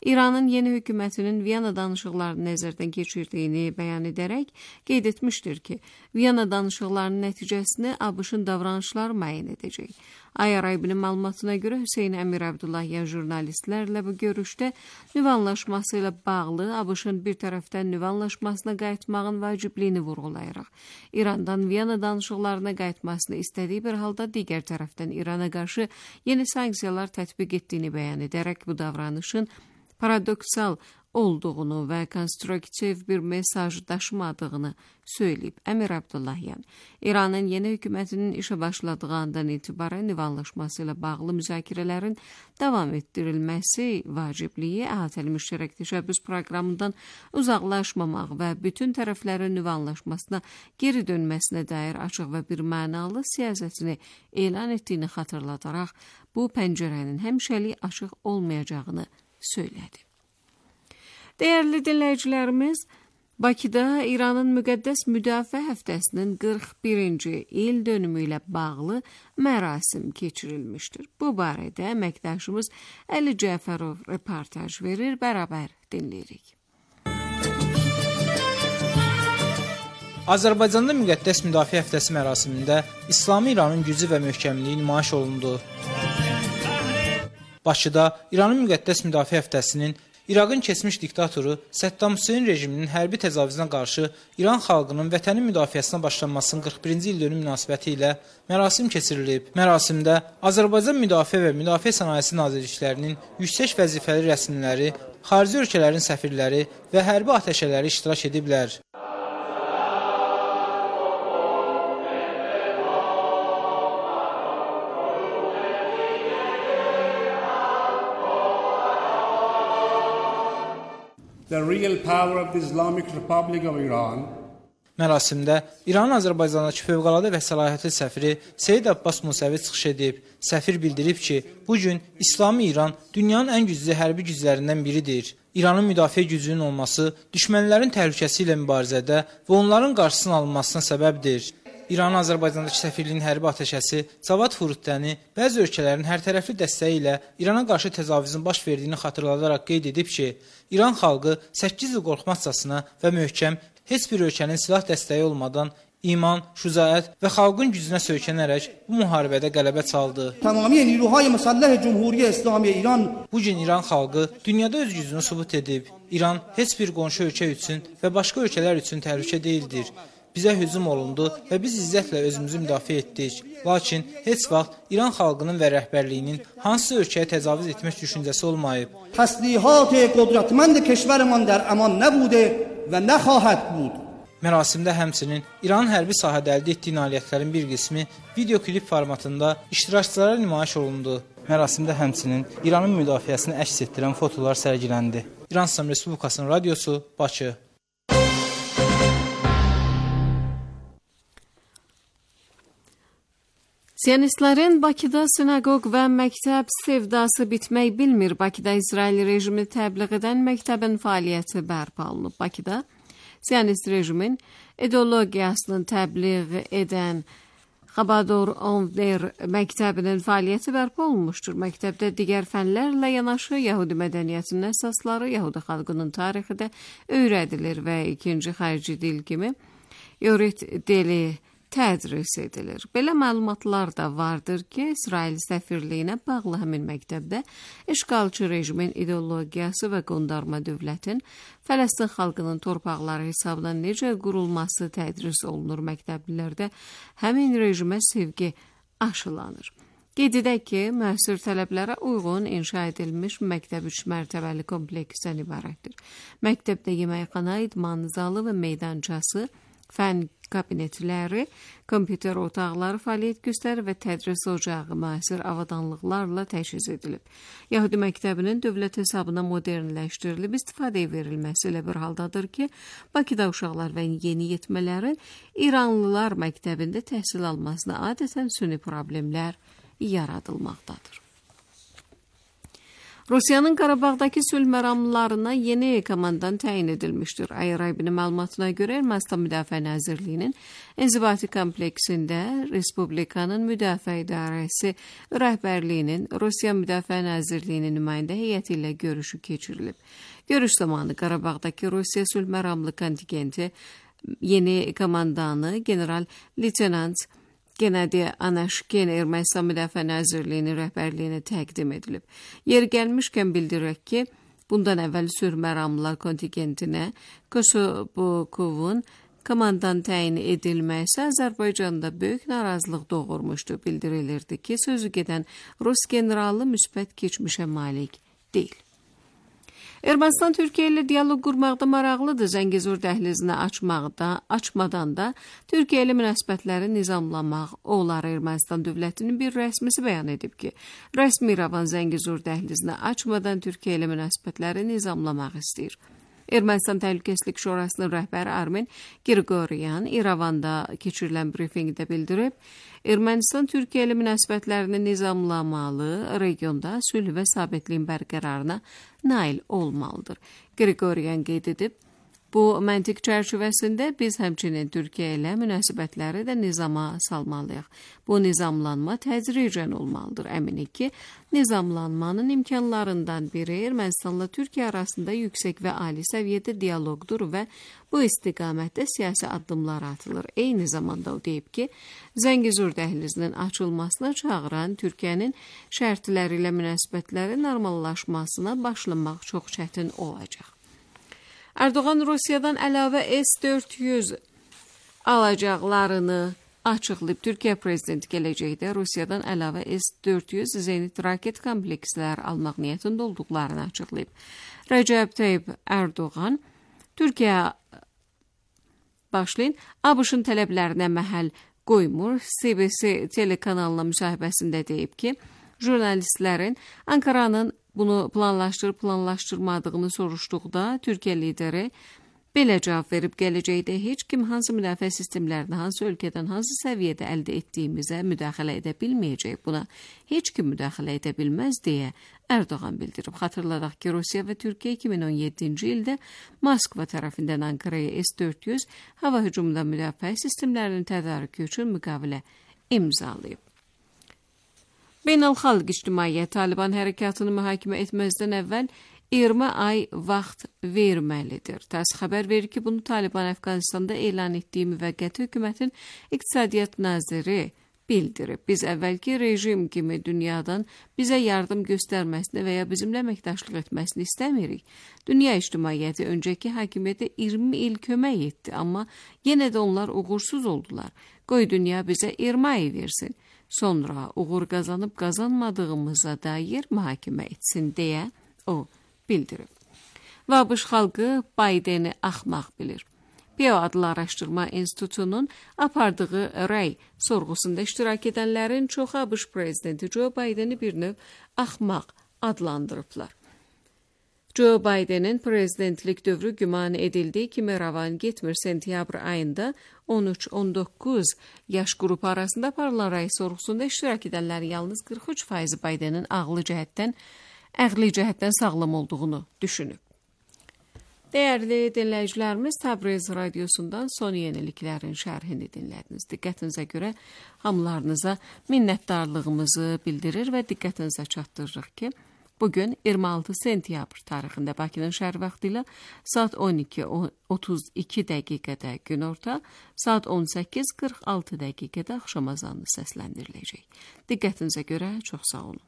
İranın yeni hökumətinin Viyana danışıqlarını nəzərdən keçirdiyini bəyan edərək qeyd etmişdir ki, Viyana danışıqlarının nəticəsini ABŞ-ın davranışları müəyyən edəcək. Ay-Arabinin məlumatına görə Hüseyn Əmir Abdullahyan jurnalistlərlə bu görüşdə nüvə anlaşması ilə bağlı ABŞ-ın bir tərəfdən nüvə anlaşmasına qayıtmağın vacibliyini vurğulayaraq, İrandan Viyana danışıqlarına qayıtmasını istədiyi bir halda digər tərəfdən İrana qarşı yeni sanksiyalar tətbiq etdiyini bəyan edərək bu davranışın paradoksal olduğunu və konstruktiv bir mesaj daşımadığını söyləyib. Əmir Abdullahyan, İranın yeni hökumətinin işə başladığı andan etibarən nüvə anlaşması ilə bağlı müzakirələrin davam etdirilməsi vacibliyi, əhatəli müştərək təşəbbüs proqramından uzaqlaşmamaq və bütün tərəflərin nüvə anlaşmasına geri dönməsinə dair açıq və bir mənalı siyasətini elan etdiyini xatırladaraq, bu pəncərənin həmişəlik açıq olmayacağını söylədi. Dəyərli dinləyicilərimiz, Bakıda İranın müqəddəs müdafiə həftəsinin 41-ci il dönümü ilə bağlı mərasim keçirilmişdir. Bu barədə əməkdaşımız Əli Cəfərov reportaj verir, bərabər dinləyirik. Azərbaycanda müqəddəs müdafiə həftəsi mərasimində İslami İranın gücü və möhkəmliyi nümayiş olundu. Bakıda İranın müqəddəs müdafiə həftəsinin İraqın keçmiş diktatoru Səddam Hüseyn rejiminin hərbi təcavüzünə qarşı İran xalqının vətənin müdafiəsinə başlanmasının 41-ci il dönümü münasibəti ilə mərasim keçirilib. Mərasimdə Azərbaycan Müdafiə və Müdafiə Sənayesi Nazirliklərinin yüksək vəzifəli rəsmiləri, xarici ölkələrin səfirləri və hərbi atəşələri iştirak ediblər. The real power of the Islamic Republic of Iran. Mərasimdə İranın Azərbaycandakı fövqəladə və səlahiyyətli səfiri Seyid Abbas Musəvi çıxış edib. Səfir bildirib ki, bu gün İslami İran dünyanın ən güclü hərbi güclərindən biridir. İranın müdafiə gücünün olması düşmənlərin təhlükəsi ilə mübarizədə və onların qarşısının alınmasına səbəbdir. İranın Azərbaycandakı səfirliyin hərbi atəşəsi Cavad Furutdəni bəzi ölkələrin hərtərəfli dəstəyi ilə İrana qarşı təcavüzün baş verdiyini xatırladaraq qeyd edib ki, İran xalqı 8 il qorxmazcasına və möhkəm, heç bir ölkənin silah dəstəyi olmadan iman, şücaət və xalqın gücünə söykənərək bu müharibədə qələbə çaldı. Bu gün İran xalqı dünyada öz gücünü sübut edib. İran heç bir qonşu ölkə üçün və başqa ölkələr üçün təhlükə deyildir. Bizə hücum olundu və biz izzətlə özümüzü müdafiə etdik. Lakin heç vaxt İran xalqının və rəhbərliyinin hansı ölkəyə təcavüz etmək düşüncəsi olmayıb. Mərasimdə həmçinin İranın hərbi sahədə əldə etdiyi nailiyyətlərin bir qismi videoklip formatında iştirakçılara nümayiş olundu. Mərasimdə həmçinin İranın müdafiəsini əks etdirən fotolar sərgiləndi. İran İslam Respublikasının radiosu, Bakı. Siyonistlərin Bakıda sinagog və məktəb sevdası bitmək bilmir. Bakıda İsrail rejimi təbliğ edən məktəbin fəaliyyəti bərpa olunub. Bakıda Siyonist rejimin ideologiyasını təbliğ edən Xabador Onver məktəbinin fəaliyyəti bərpa olunmuşdur. Məktəbdə digər fənlərlə yanaşı Yahudi mədəniyyətinin əsasları, Yahudi xalqının tarixi də öyrədilir və ikinci xarici dil kimi Yorit dili tədris edilir. Belə məlumatlar da vardır ki, İsrail səfirliyinə bağlı həmin məktəbdə işğalçı rejimin ideologiyası və qondarma dövlətin Fələstin xalqının torpaqları hesabına necə qurulması tədris olunur. Məktəblilərdə həmin rejimə sevgi aşılanır. Qeyd edək ki, müasir tələblərə uyğun inşa edilmiş məktəb 3 mərtəbəli kompleksdən ibarətdir. Məktəbdə yeməkxana, idman zalı və meydançası, fən kabinetləri, kompüter otaqları fəaliyyət göstərir və tədris ocağı müasir avadanlıqlarla təchiz edilib. Yahudi məktəbinin dövlət hesabına modernləşdirilib istifadəyə verilməsi ilə bir haldadır ki, Bakıda uşaqlar və yeniyetmələrin İranlılar məktəbində təhsil almasına adətən süni problemlər yaradılmaqdadır. Rusiyanın Qarabağdakı sülh məramlarına yeni komandan təyin edilmişdir. Ayrabinin məlumatına görə Ermənistan Müdafiə Nazirliyinin İnzibati kompleksində Respublikanın Müdafiə İdarəsi rəhbərliyinin Rusiya Müdafiə Nazirliyinin nümayəndə heyəti ilə görüşü keçirilib. Görüş zamanı Qarabağdakı Rusiya sülh məramlı kontingenti yeni komandanı general-leytenant Gennady Anashkin Ermənistan Müdafiə Nazirliyinin rəhbərliyinə təqdim edilib. Yeri gəlmişkən bildirək ki, bundan əvvəl sülh məramlılar kontingentinə Kosovokovun komandan təyin edilməsi Azərbaycanda böyük narazılıq doğurmuşdu. Bildirilirdi ki, sözü gedən Rus generalı müsbət keçmişə malik deyil. Ermənistan Türkiyə ilə dialoq qurmaqda maraqlıdır. Zəngəzur dəhlizini açmadan da Türkiyə ilə münasibətləri nizamlamaq olar. Ermənistan dövlətinin bir rəsmisi bəyan edib ki, rəsmi İrəvan Zəngəzur dəhlizini açmadan Türkiyə ilə münasibətləri nizamlamaq istəyir. Ermənistan Təhlükəsizlik Şurasının rəhbəri Armen Grigoryan İrəvanda keçirilən brifinqdə bildirib, Ermənistan Türkiyə ilə münasibətlərini nizamlamalı, regionda sülh və sabitliyin bərqərarına nail olmalıdır. Grigoryan qeyd edib, bu məntiq çərçivəsində biz həmçinin Türkiyə ilə münasibətləri də nizama salmalıyıq. Bu nizamlanma tədricən olmalıdır. Əminik ki, nizamlanmanın imkanlarından biri Ermənistanla Türkiyə arasında yüksək və ali səviyyədə dialoqdur və bu istiqamətdə siyasi addımlar atılır. Eyni zamanda o deyib ki, Zəngəzur dəhlizinin açılmasına çağıran Türkiyənin şərtləri ilə münasibətləri normallaşmasına başlamaq çox çətin olacaq. Erdoğan Rusiyadan əlavə S-400 alacaqlarını açıqlayıb. Türkiyə prezidenti gələcəkdə Rusiyadan əlavə S-400 Zenit raket komplekslər almaq niyyətində olduqlarını açıqlayıb. Rəcəb Tayyip Erdoğan Türkiyə başlayın ABŞ-ın tələblərinə məhəl qoymur. CBC telekanalına müsahibəsində deyib ki, jurnalistlərin Ankaranın bunu planlaşdırmadığını soruşduqda Türkiyə lideri belə cavab verib, gələcəkdə heç kim hansı müdafiə sistemlərini hansı ölkədən hansı səviyyədə əldə etdiyimizə müdaxilə edə bilməyəcək. Buna heç kim müdaxilə edə bilməz deyə Erdoğan bildirib. Xatırladaq ki, Rusiya və Türkiyə 2017-ci ildə Moskva tərəfindən Ankaraya S-400 hava hücumundan müdafiə sistemlərinin tədarükü üçün müqavilə imzalayıb. Beynəlxalq ictimaiyyət Taliban hərəkatını mühakimə etməzdən əvvəl 20 ay vaxt verməlidir. TASS xəbər verir ki, bunu Taliban Əfqanistanda elan etdiyi müvəqqəti hökumətin iqtisadiyyat naziri bildirib. Biz əvvəlki rejim kimi dünyadan bizə yardım göstərməsini və ya bizimlə əməkdaşlıq etməsini istəmirik. Dünya ictimaiyyəti öncəki hakimiyyətə 20 il kömək etdi, amma yenə də onlar uğursuz oldular. Qoy dünya bizə 20 ay versin. Sonra uğur qazanıb qazanmadığımıza dair mühakimə etsin deyə o bildirib. Və ABŞ xalqı Baydeni axmaq bilir. Pew adlı araşdırma institutunun apardığı rəy sorğusunda iştirak edənlərin çoxu ABŞ prezidenti Joe Bideni bir növ axmaq adlandırıblar. Joe Bidenin prezidentlik dövrü güman edildiyi kimi rəvan getmir. Sentyabr ayında 13-19 yaş qrupu arasında aparılan rəy sorğusunda iştirak edənlərin yalnız 43% Bidenin əqli cəhətdən sağlam olduğunu düşünüb. Dəyərli dinləyicilərimiz, Təbriz radiosundan son yeniliklərin şərhini dinlədiniz. Diqqətinizə görə hamılarınıza minnətdarlığımızı bildirir və diqqətinizə çatdırırıq ki, bugün 26 sentyabr tarixində Bakının şəhər vaxtı ilə saat 12:32 dəqiqədə günorta, saat 18:46 dəqiqədə axşam azanı səsləndiriləcək. Diqqətinizə görə çox sağ olun.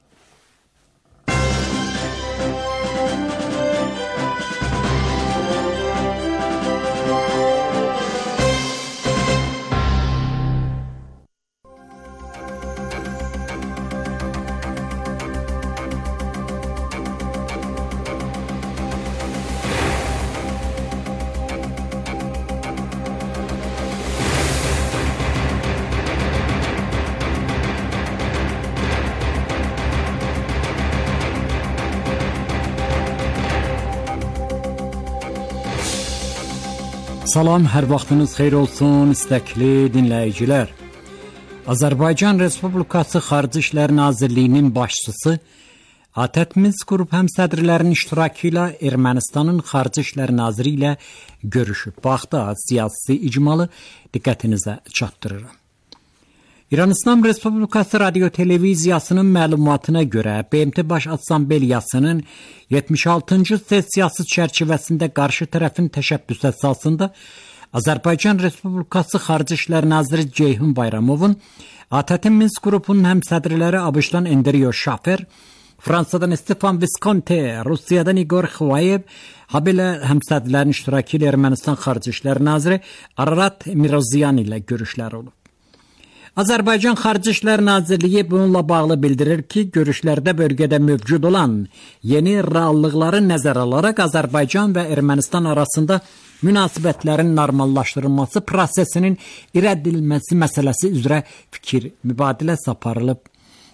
Salam, hər vaxtınız xeyir olsun, istəkli dinləyicilər. Azərbaycan Respublikası Xarici İşlər Nazirliyinin başçısı ATƏT Minsk qrup həmsədrlərinin iştirakı ilə Ermənistanın Xarici İşlər Naziri ilə görüşüb. Bu haqda siyasi icmalı diqqətinizə çatdırıram. İran İslam Respublikası Radio Televiziyasının məlumatına görə BMT Baş Assambleyasının 76-cı sessiyası çərçivəsində qarşı tərəfin təşəbbüs əsasında Azərbaycan Respublikası Xarici İşlər Naziri Ceyhun Bayramovun ATƏT Minsk qrupunun həmsədrləri ABŞ-dan Andriy Şafer, Fransadan Stefan Visconti, Rusiyadan Igor Xvayev, habelə həmsədrlərin iştirakı ilə Ermənistan Xarici İşlər Naziri Ararat Mirzoyan ilə görüşlər olub. Azərbaycan Xarici İşlər Nazirliyi bununla bağlı bildirir ki, görüşlərdə bölgədə mövcud olan yeni reallıqları nəzərə alaraq Azərbaycan və Ermənistan arasında münasibətlərin normallaşdırılması prosesinin irəlilməsi məsələsi üzrə fikir mübadiləsi aparılıb.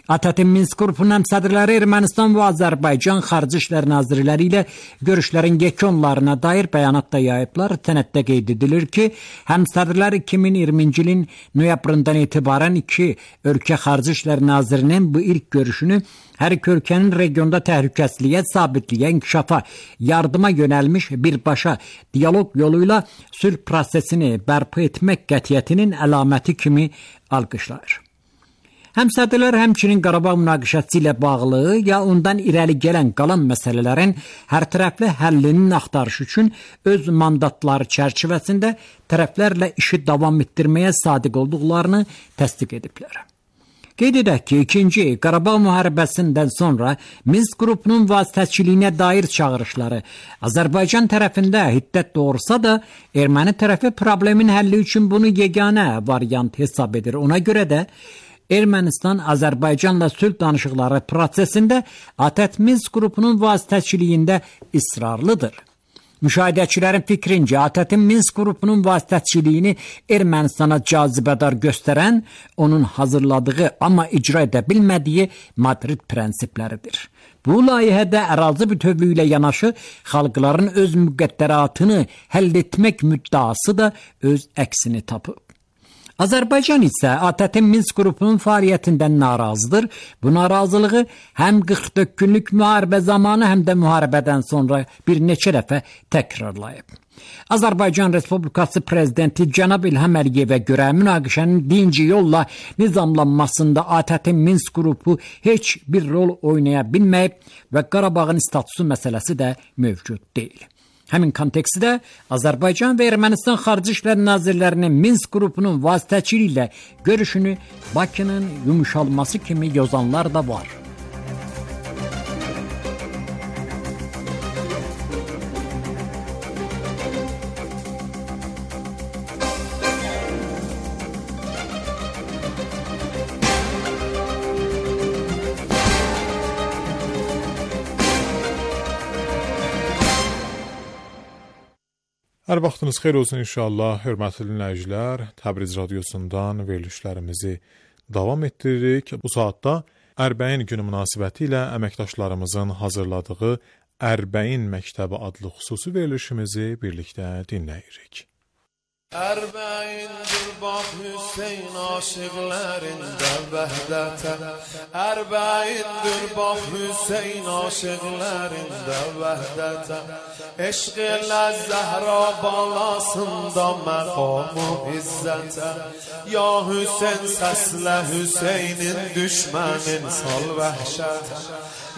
ATƏT Minsk qrupunun həmsədrləri Ermənistan və Azərbaycan Xarici İşlər Nazirləri ilə görüşlərin yekunlarına dair bəyanat da yayıblar. Sənəddə qeyd edilir ki, həmsədrlər 2020-ci ilin noyabrından etibarən iki ölkə Xarici İşlər Nazirinin bu ilk görüşünü hər iki ölkənin regionda təhlükəsizliyə, sabitliyə, inkişafa, yardıma yönəlmiş birbaşa diyaloq yoluyla sülh prosesini bərpa etmək qətiyyətinin əlaməti kimi alqışlayır. Həmsədrlər həmçinin Qarabağ münaqişəsi ilə bağlı ya ondan irəli gələn qalan məsələlərin hərtərəfli həllinin axtarışı üçün öz mandatları çərçivəsində tərəflərlə işi davam etdirməyə sadiq olduqlarını təsdiq ediblər. Qeyd edək ki, 2-ci Qarabağ müharibəsindən sonra Minsk qrupunun vasitəçiliyinə dair çağırışları Azərbaycan tərəfində hiddət doğursa da, erməni tərəfi problemin həlli üçün bunu yeganə variant hesab edir. Ona görə də Ermənistan Azərbaycanla sülh danışıqları prosesində ATƏT Minsk qrupunun vasitəçiliyində israrlıdır. Müşahidəçilərin fikrincə ATƏT Minsk qrupunun vasitəçiliyini Ermənistana cazibədar göstərən onun hazırladığı amma icra edə bilmədiyi Madrid prinsipləridir. Bu layihədə ərazi bütövlüyü ilə yanaşı xalqların öz müqəddəratını həll etmək müddəası da öz əksini tapıb. Azərbaycan isə ATƏT Minsk qrupunun fəaliyyətindən narazıdır. Bu narazılığı həm 44 günlük müharibə zamanı, həm də müharibədən sonra bir neçə dəfə təkrarlayıb. Azərbaycan Respublikası Prezidenti Cənab İlham Əliyevə görə münaqişənin dinci yolla nizamlanmasında ATƏT Minsk qrupu heç bir rol oynaya bilməyib və Qarabağın statusu məsələsi də mövcud deyil. Həmin kontekstdə Azərbaycan və Ermənistan Xarici İşlər Nazirlərinin Minsk qrupunun vasitəçiliyi ilə görüşünü Bakının yumuşalması kimi yozanlar da var. Hər vaxtınız xeyir olsun inşallah, hörmətli dinləyicilər. Təbriz radiosundan verilişlərimizi davam etdiririk. Bu saatda Ərbəin günü münasibəti ilə əməkdaşlarımızın hazırladığı Ərbəin məktəbi adlı xüsusi verilişimizi birlikdə dinləyirik. Ərbəyindir bax Hüseyn aşıqlərində vəhdətə, Ərbəyindir bax Hüseyn aşıqlərində vəhdətə, eşq ilə Zəhra balasında məqam-ı izzətə, ya Hüseyn səslə Hüseynin düşmənin sal vəhşətə,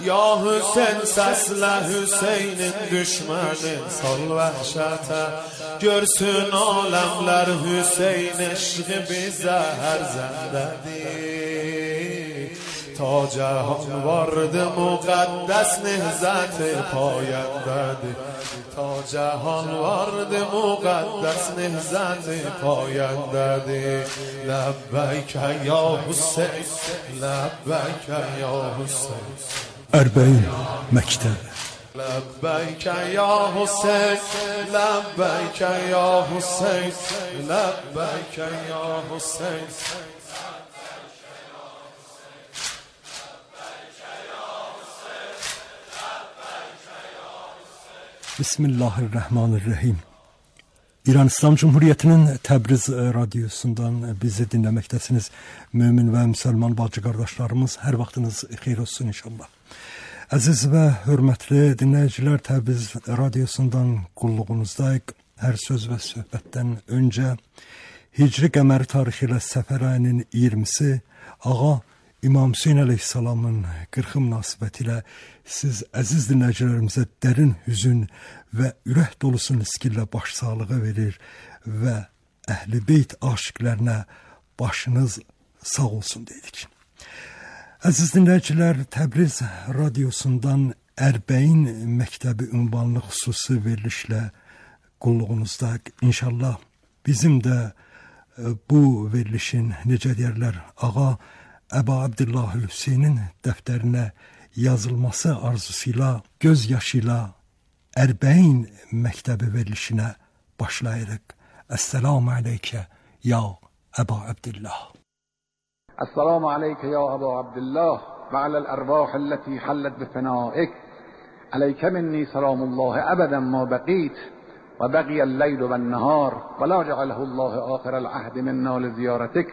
ya Hüseyn səslə Hüseynin düşmənin sal vəhşətə, görsün aləmlər Hüseyn eşqi bizə hər zəndədir, ta cəhan vardı müqəddəs nehzət-i payəndədir, ta cəhan vardı müqəddəs nehzət-i payəndədir, ləbbəkə ya Hüseyn, ləbbəkə ya Hüseyn. Ərbəin məktəbi. لبيك يا حسين لبيك يا حسين لبيك يا حسين Bismillahirrahmanirrahim. İran İslam Cumhuriyyətinin Təbriz radiosundan bizi dinləməkdəsiniz. Mömin və müsəlman bacı qardaşlarımız, hər vaxtınız xeyir olsun inşallah. Əziz və hörmətli dinləyicilər, Təbriz radiosundan qulluğunuzdayıq. Hər söz və söhbətdən öncə Hicri qəməri tarixi ilə Səfər ayının 20-si Ağa İmam Hüseyn əleyhissalamın 40 münasibəti ilə siz əziz dinləyicilərimizə dərin hüzün və ürək dolusu niskillə başsağlığı verir və Əhl-i Beyt aşiqlərinə başınız sağ olsun dedik. Əziz dinləyicilər, Təbriz radiosundan Ərbəin məktəbi ünvanlı xüsusi verilişlə qulluğunuzda inşallah bizim də bu verilişin necə deyərlər Ağa Əba Abdullah Hüseynin dəftərinə yazılması arzusuyla, göz yaşıyla Ərbəin məktəbi verilişinə başlayırıq. Esselamu aleykə ya Əba Abdullah. Esselamu aleykə ya Əba Abdullah və aləl ərvah əlləti hallət bifənâik. Aleykə minni selamullahi əbədən ma bəqit. وبقي الليل والنهار ولا جعله الله آخر العهد منا لزيارتك.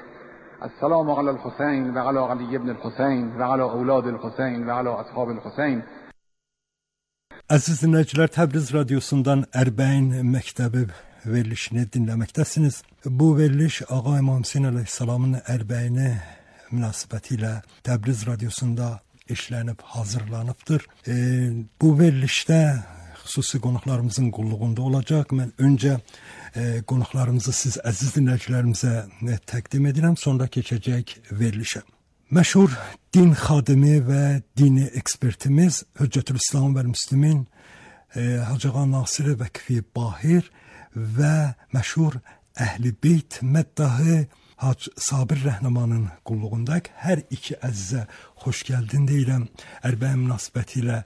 السلام على الحسين وعلى علي بن الحسين وعلى أولاد الحسين وعلى أصحاب الحسين. Əziz dinləyicilər, Təbriz radiosundan Ərbəin məktəbi verilişini dinləməkdəsiniz. Bu veriliş Ağa İmam Hüseyn əleyhissalamın Ərbəyini münasibəti ilə Təbriz radiosunda işlənib, hazırlanıbdır. Bu verilişdə xüsusi qonaqlarımızın qulluğunda olacaq. Mən öncə qonaqlarımızı siz əziz dinləyicilərimizə təqdim edirəm, sonra keçəcək verilişə. Məşhur din xadimi və dini ekspertimiz Hüccətül-İslam və Müslimin Hacı Ağa Nasir Vəkfi Bahir və məşhur Əhl-i Beyt məddahı Hac Sabir Rəhnamanın qulluğundayıq. Hər iki əzizə xoş gəldin deyirəm. Ərbəin münasibəti ilə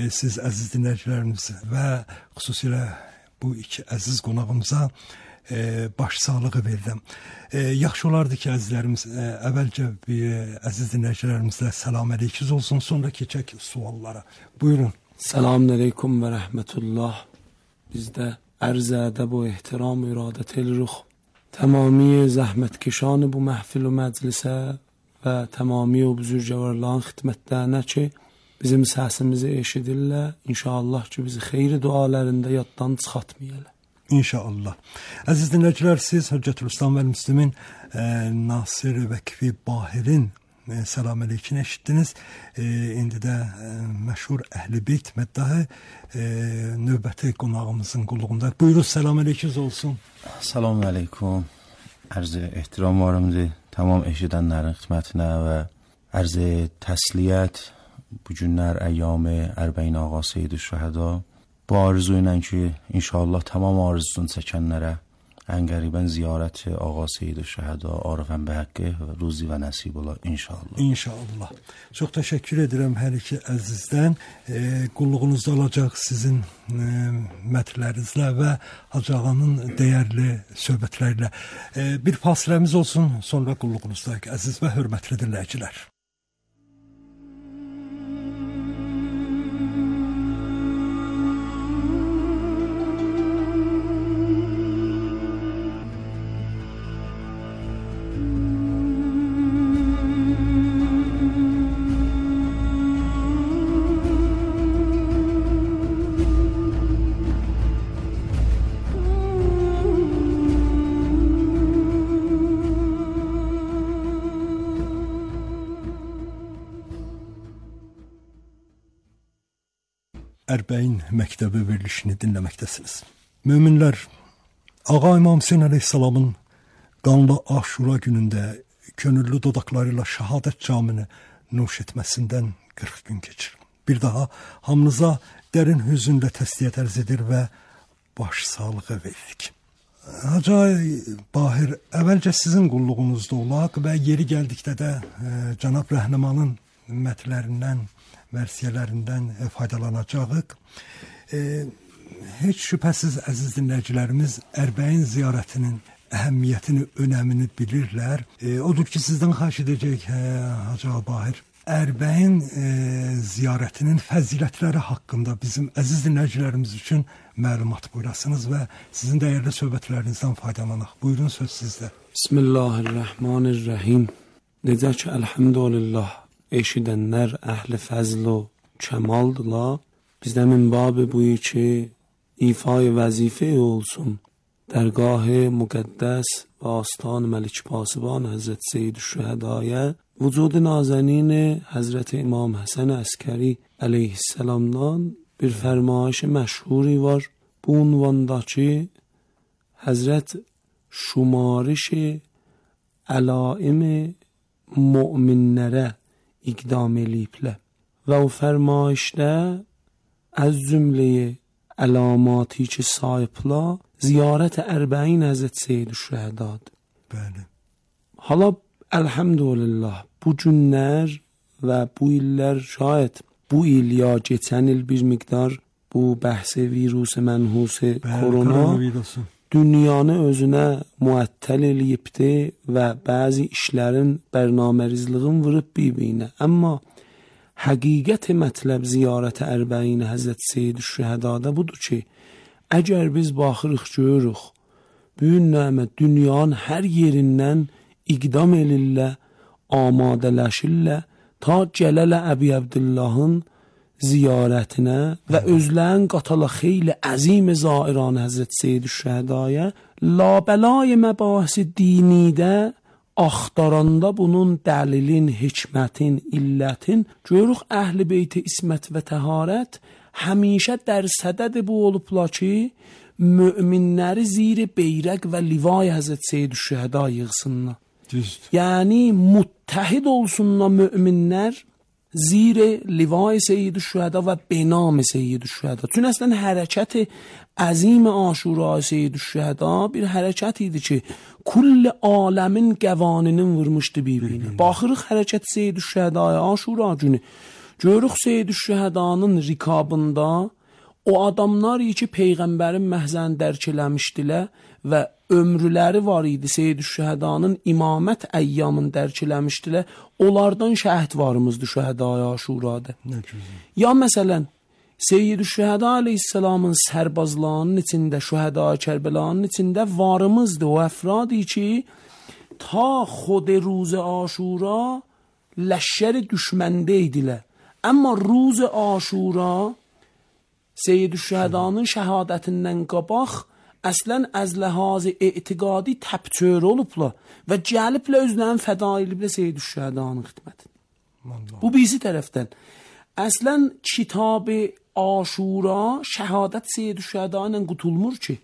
siz əziz dinləyicilərimiz və xüsusilə bu iki əziz qonağımıza başsağlığı verirəm. Yaxşı olardı ki, əzizlərimiz əvvəlcə əziz dinləyicilərimizlə salam əleykiz olsun, sonra keçək suallara. Buyurun. Selamun aleyküm və rəhmətullah. Bizdə ərz ədəb و احترام و ارادت الرخ تمامی zəhmətkeşan bu məhfil و məclisə və təmami o buzurgəvarların xidmətlərinə ki, bizim səsimizi eşidirlər. İnşallah ki, bizi xeyri dualarında yaddan çıxartmayırlar. İnşallah. Əziz dinləyicilər, siz Hüccətül-İslam və Müslimin Nasir Vəkfi Bahirin salam aleykini eşitdiniz. İndi də məşhur Əhl-i Beyt məddahı növbəti qonağımızın qulluğunda. Buyurun, salam aleykiniz olsun. Salam aleyküm. Ərz ehtiram varımdır tamam eşidənlərin xidmətinə və ərz təsliyyət bu günlər əyyam-ı Ərbəin Ağa Seyyid-i Şəhəda bu arzu ilə ki, inşallah tamam arzusunu çəkənlərə ən qəribən ziyarət Ağa Seyyid-i Şəhəda Arifən Bəhəqqi ruzi və nəsib ola inşallah. İnşallah. Çox təşəkkür edirəm hər iki əzizdən. Qulluğunuzda olacaq sizin mətlərinizlə və Hacı Ağanın dəyərli söhbətlərlə. Bir fasiləmiz olsun, sonra qulluğunuzdayıq əziz və hörmətli dinləyicilər. Ərbəin məktəbi verilişini dinləməkdəsiniz. Möminlər, Ağa İmam Hüseyn əleyhissalamın qanlı Aşura günündə könüllü dodaqları ilə şəhadət camını nuş etməsindən 40 gün keçir. Bir daha hamınıza dərin hüzünlə təsliyyət ərz edir və baş sağlığı veririk. Hacı Bahir, əvvəlcə sizin qulluğunuzda olaq və yeri gəldikdə də Cənab Rəhnamanın mətlərindən, versiyələrindən faydalanacağıq. Heç şübhəsiz əziz dinləyicilərimiz Ərbəin ziyarətinin əhəmiyyətini, önəmini bilirlər. Odur ki, sizdən xahiş edəcək Hacı Bahir, Ərbəin ziyarətinin fəzilətləri haqqında bizim əziz dinləyicilərimiz üçün məlumat buyurasınız və sizin dəyərli söhbətlərinizdən faydalanaq. Buyurun, söz sizdə. Bismillahirrahmanirrahim. Necə ki, əlhamdülillah eşidənlər əhli fəzl o kəmaldıla. Bizdə minbab buyu ki, ifai vəzifə olsun. Dərgah müqəddəs və astan Məlik Pasiban Həzrət Seyyid-ü-Şühədaya vücud nazenin Həzrət İmam Həsən Əskəri əleyhisselamdan bir fərmayış məşhuri var. Bu unvanda ki, Həzrət şumariş əlaim müminlərə iqdam eləyiblər. Və o fərmayişdə az cümləyə əlamatı ki sahiblər ziyarət Ərbəin Həzrət Seyyid-ü-Şühədadır. Bəli. Hala elhamdülillah bu günlər və bu illər şayət bu il ya geçən il bir miqdar bu bəhs virus mənhus korona dünyanı özünə muəttəl eləyibdi və bəzi işlərin bərnamərizliğin vurub bir-birinə. Amma həqiqət mətləb ziyarət Ərbəin Həzrət Seyyid-ü-Şühədada budur ki, əgər biz baxırıq görürük, büyün nəmə dünyanın hər yerindən iqdam elirlər, amadələşirlər, ta gələlə Əbi Əbdullahın ziyarətinə və özlərin qatala xeyli əzim zairan Həzrət Seyyid-ü-Şühədaya labəlay məbahisi dinidə axtaranda bunun dəlilin, hikmətin, illətin görürük əhl-i beyt ismət və təharət həmişə dərsədədir bu olubla ki, müminləri zir beyrək və livay Həzrət Seyyid-ü-Şühəda yığsınlar. Yəni muttəhid olsunlar müminlər zir livay Seyyid-ü-Şühəda və benam Seyyid-ü-Şühəda. Çünki əslən hərəkət əzim Aşura Seyyid-ü-Şühəda bir hərəkət idi ki, kull aləmin qəvaninin vurmuşdu bir-birinə. Baxırıq hərəkət Seyyid-ü-Şühədaya Aşura günü. Görürük Seyyid-ü-Şühədanın rikabında o adamlar ki, Peyğəmbərin məhzəni dərk eləmişdilər və ömrüləri var idi Seyyid-ü-Şühədanın imamət əyyamını dərk eləmişdilər. Onlardan şəhid varımızdır Şühədaya Aşurada. Ya məsələn, Seyyid-ü-Şühəda aleyhisselamın sərbazlarının içində, Şühədaya Kərbəlanın içində varımızdır. O əfradi ki, ta xod روز Aşura ləşşəri düşməndə idilər. Amma روز Aşura Seyyid-ü-Şühədanın şəhadətindən qabaq əslən az ləhaz etiqadi təbtör olublar və gəliblə özlərini fəda ediblər Seyyid-ü-Şühədanın xidmətində. Bu birisi tərəfdən. Əslən kitab-ı Aşura şəhadət Seyyid-ü-Şühəda ilə qutulmur ki.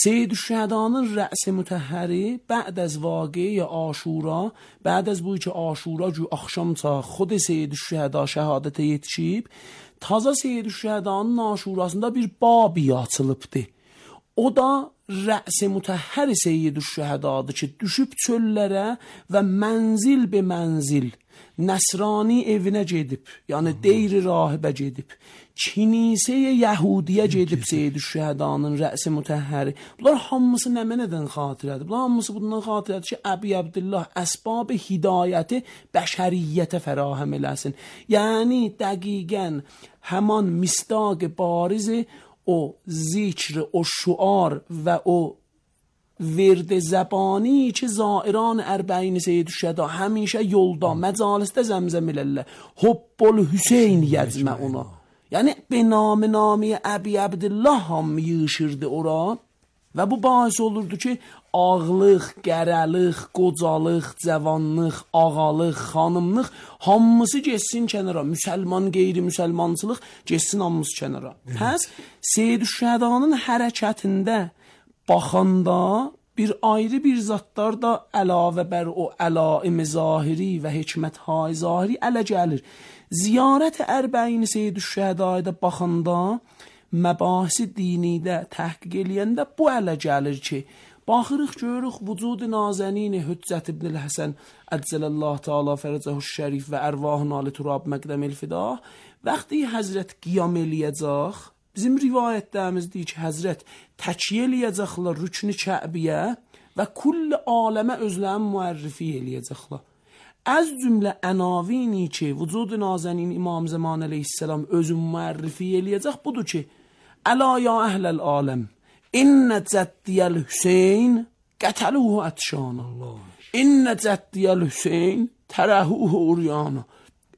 Seyyid-ü-Şühədanın rəs-i mütəhhəri bə'd az vaqiə Aşura, bə'd az bu ki Aşura ki axşamca xod Seyyid-ü-Şühəda şəhadətə yetişib, taza Seyyid-ü-Şühədanın Aşurasında bir babi açılıbdır. O da rəs-i mütəhhər Seyyid-ü-Şühədadır ki, düşüb çöllərə və mənzil be mənzil Nəsrani evinə gedib, yəni deyri rahibə gedib, kinisə-i Yəhudiyə gedib Seyyid-ü-Şühədanın rəs-i mütəhhəri. Bunlar hamısı nə mənədən xatirədir? Bunlar hamısı bundan xatirədir ki, Əbi Əbdullah əsbab hidayəti bəşəriyyətə fərahəm eləsin. Yəni dəqiqən həman misdaq barizi o zikr, o şuar və o ورد زبانی که زائران اربعین Seyyid-ü-Şühəda həmişə yolda, məcalisdə zəmzəm elərlər. Hubbul Hüseyn yəcməuna. Yəni benami Əbi Əbdullah hamı yığışırdı ora və bu bahis olurdu ki, ağlıq, qərəlıq, qocalıq, cavanlıq, ağalıq, xanımlıq hamısı geçsin kənara. Müsəlman, qeyri-müsəlmançılıq geçsin hamısı kənara. Pəs Seyyid-ü-Şühədanın hərəkətində baxanda bir ayrı bir zatlar da əlavə bər o əlaim zahiri və hikmət-hay zahiri ələ gəlir. Ziyarət Ərbəin Seyyid-ü-Şühədaya baxanda məbahisi dinidə təhqiq eləyəndə bu ələ gəlir ki, baxırıq görürük vücud nazənin Hüccət ibn Həsən Əcələllah Teala fərəcəhu şərif və ərvahın ali turab məqdəmil fidah vəqti Həzrət qiyam eləyəcək. Bizim rivayətlərimizdir ki, Həzrət təkiyyə eləyəcəklər rükn-i Kəbiyə və kull aləmə özlərin müərrifi eləyəcəklər. Az cümlə ənavini ki, vücud nazənin İmam Zaman əleyhisselam özün müərrifi eləyəcək budur ki, əla ya əhləl aləm, innə cəddiyəl Hüseyn qətəluhu ətşana, innə cəddiyəl Hüseyn tərəhuhu uryana.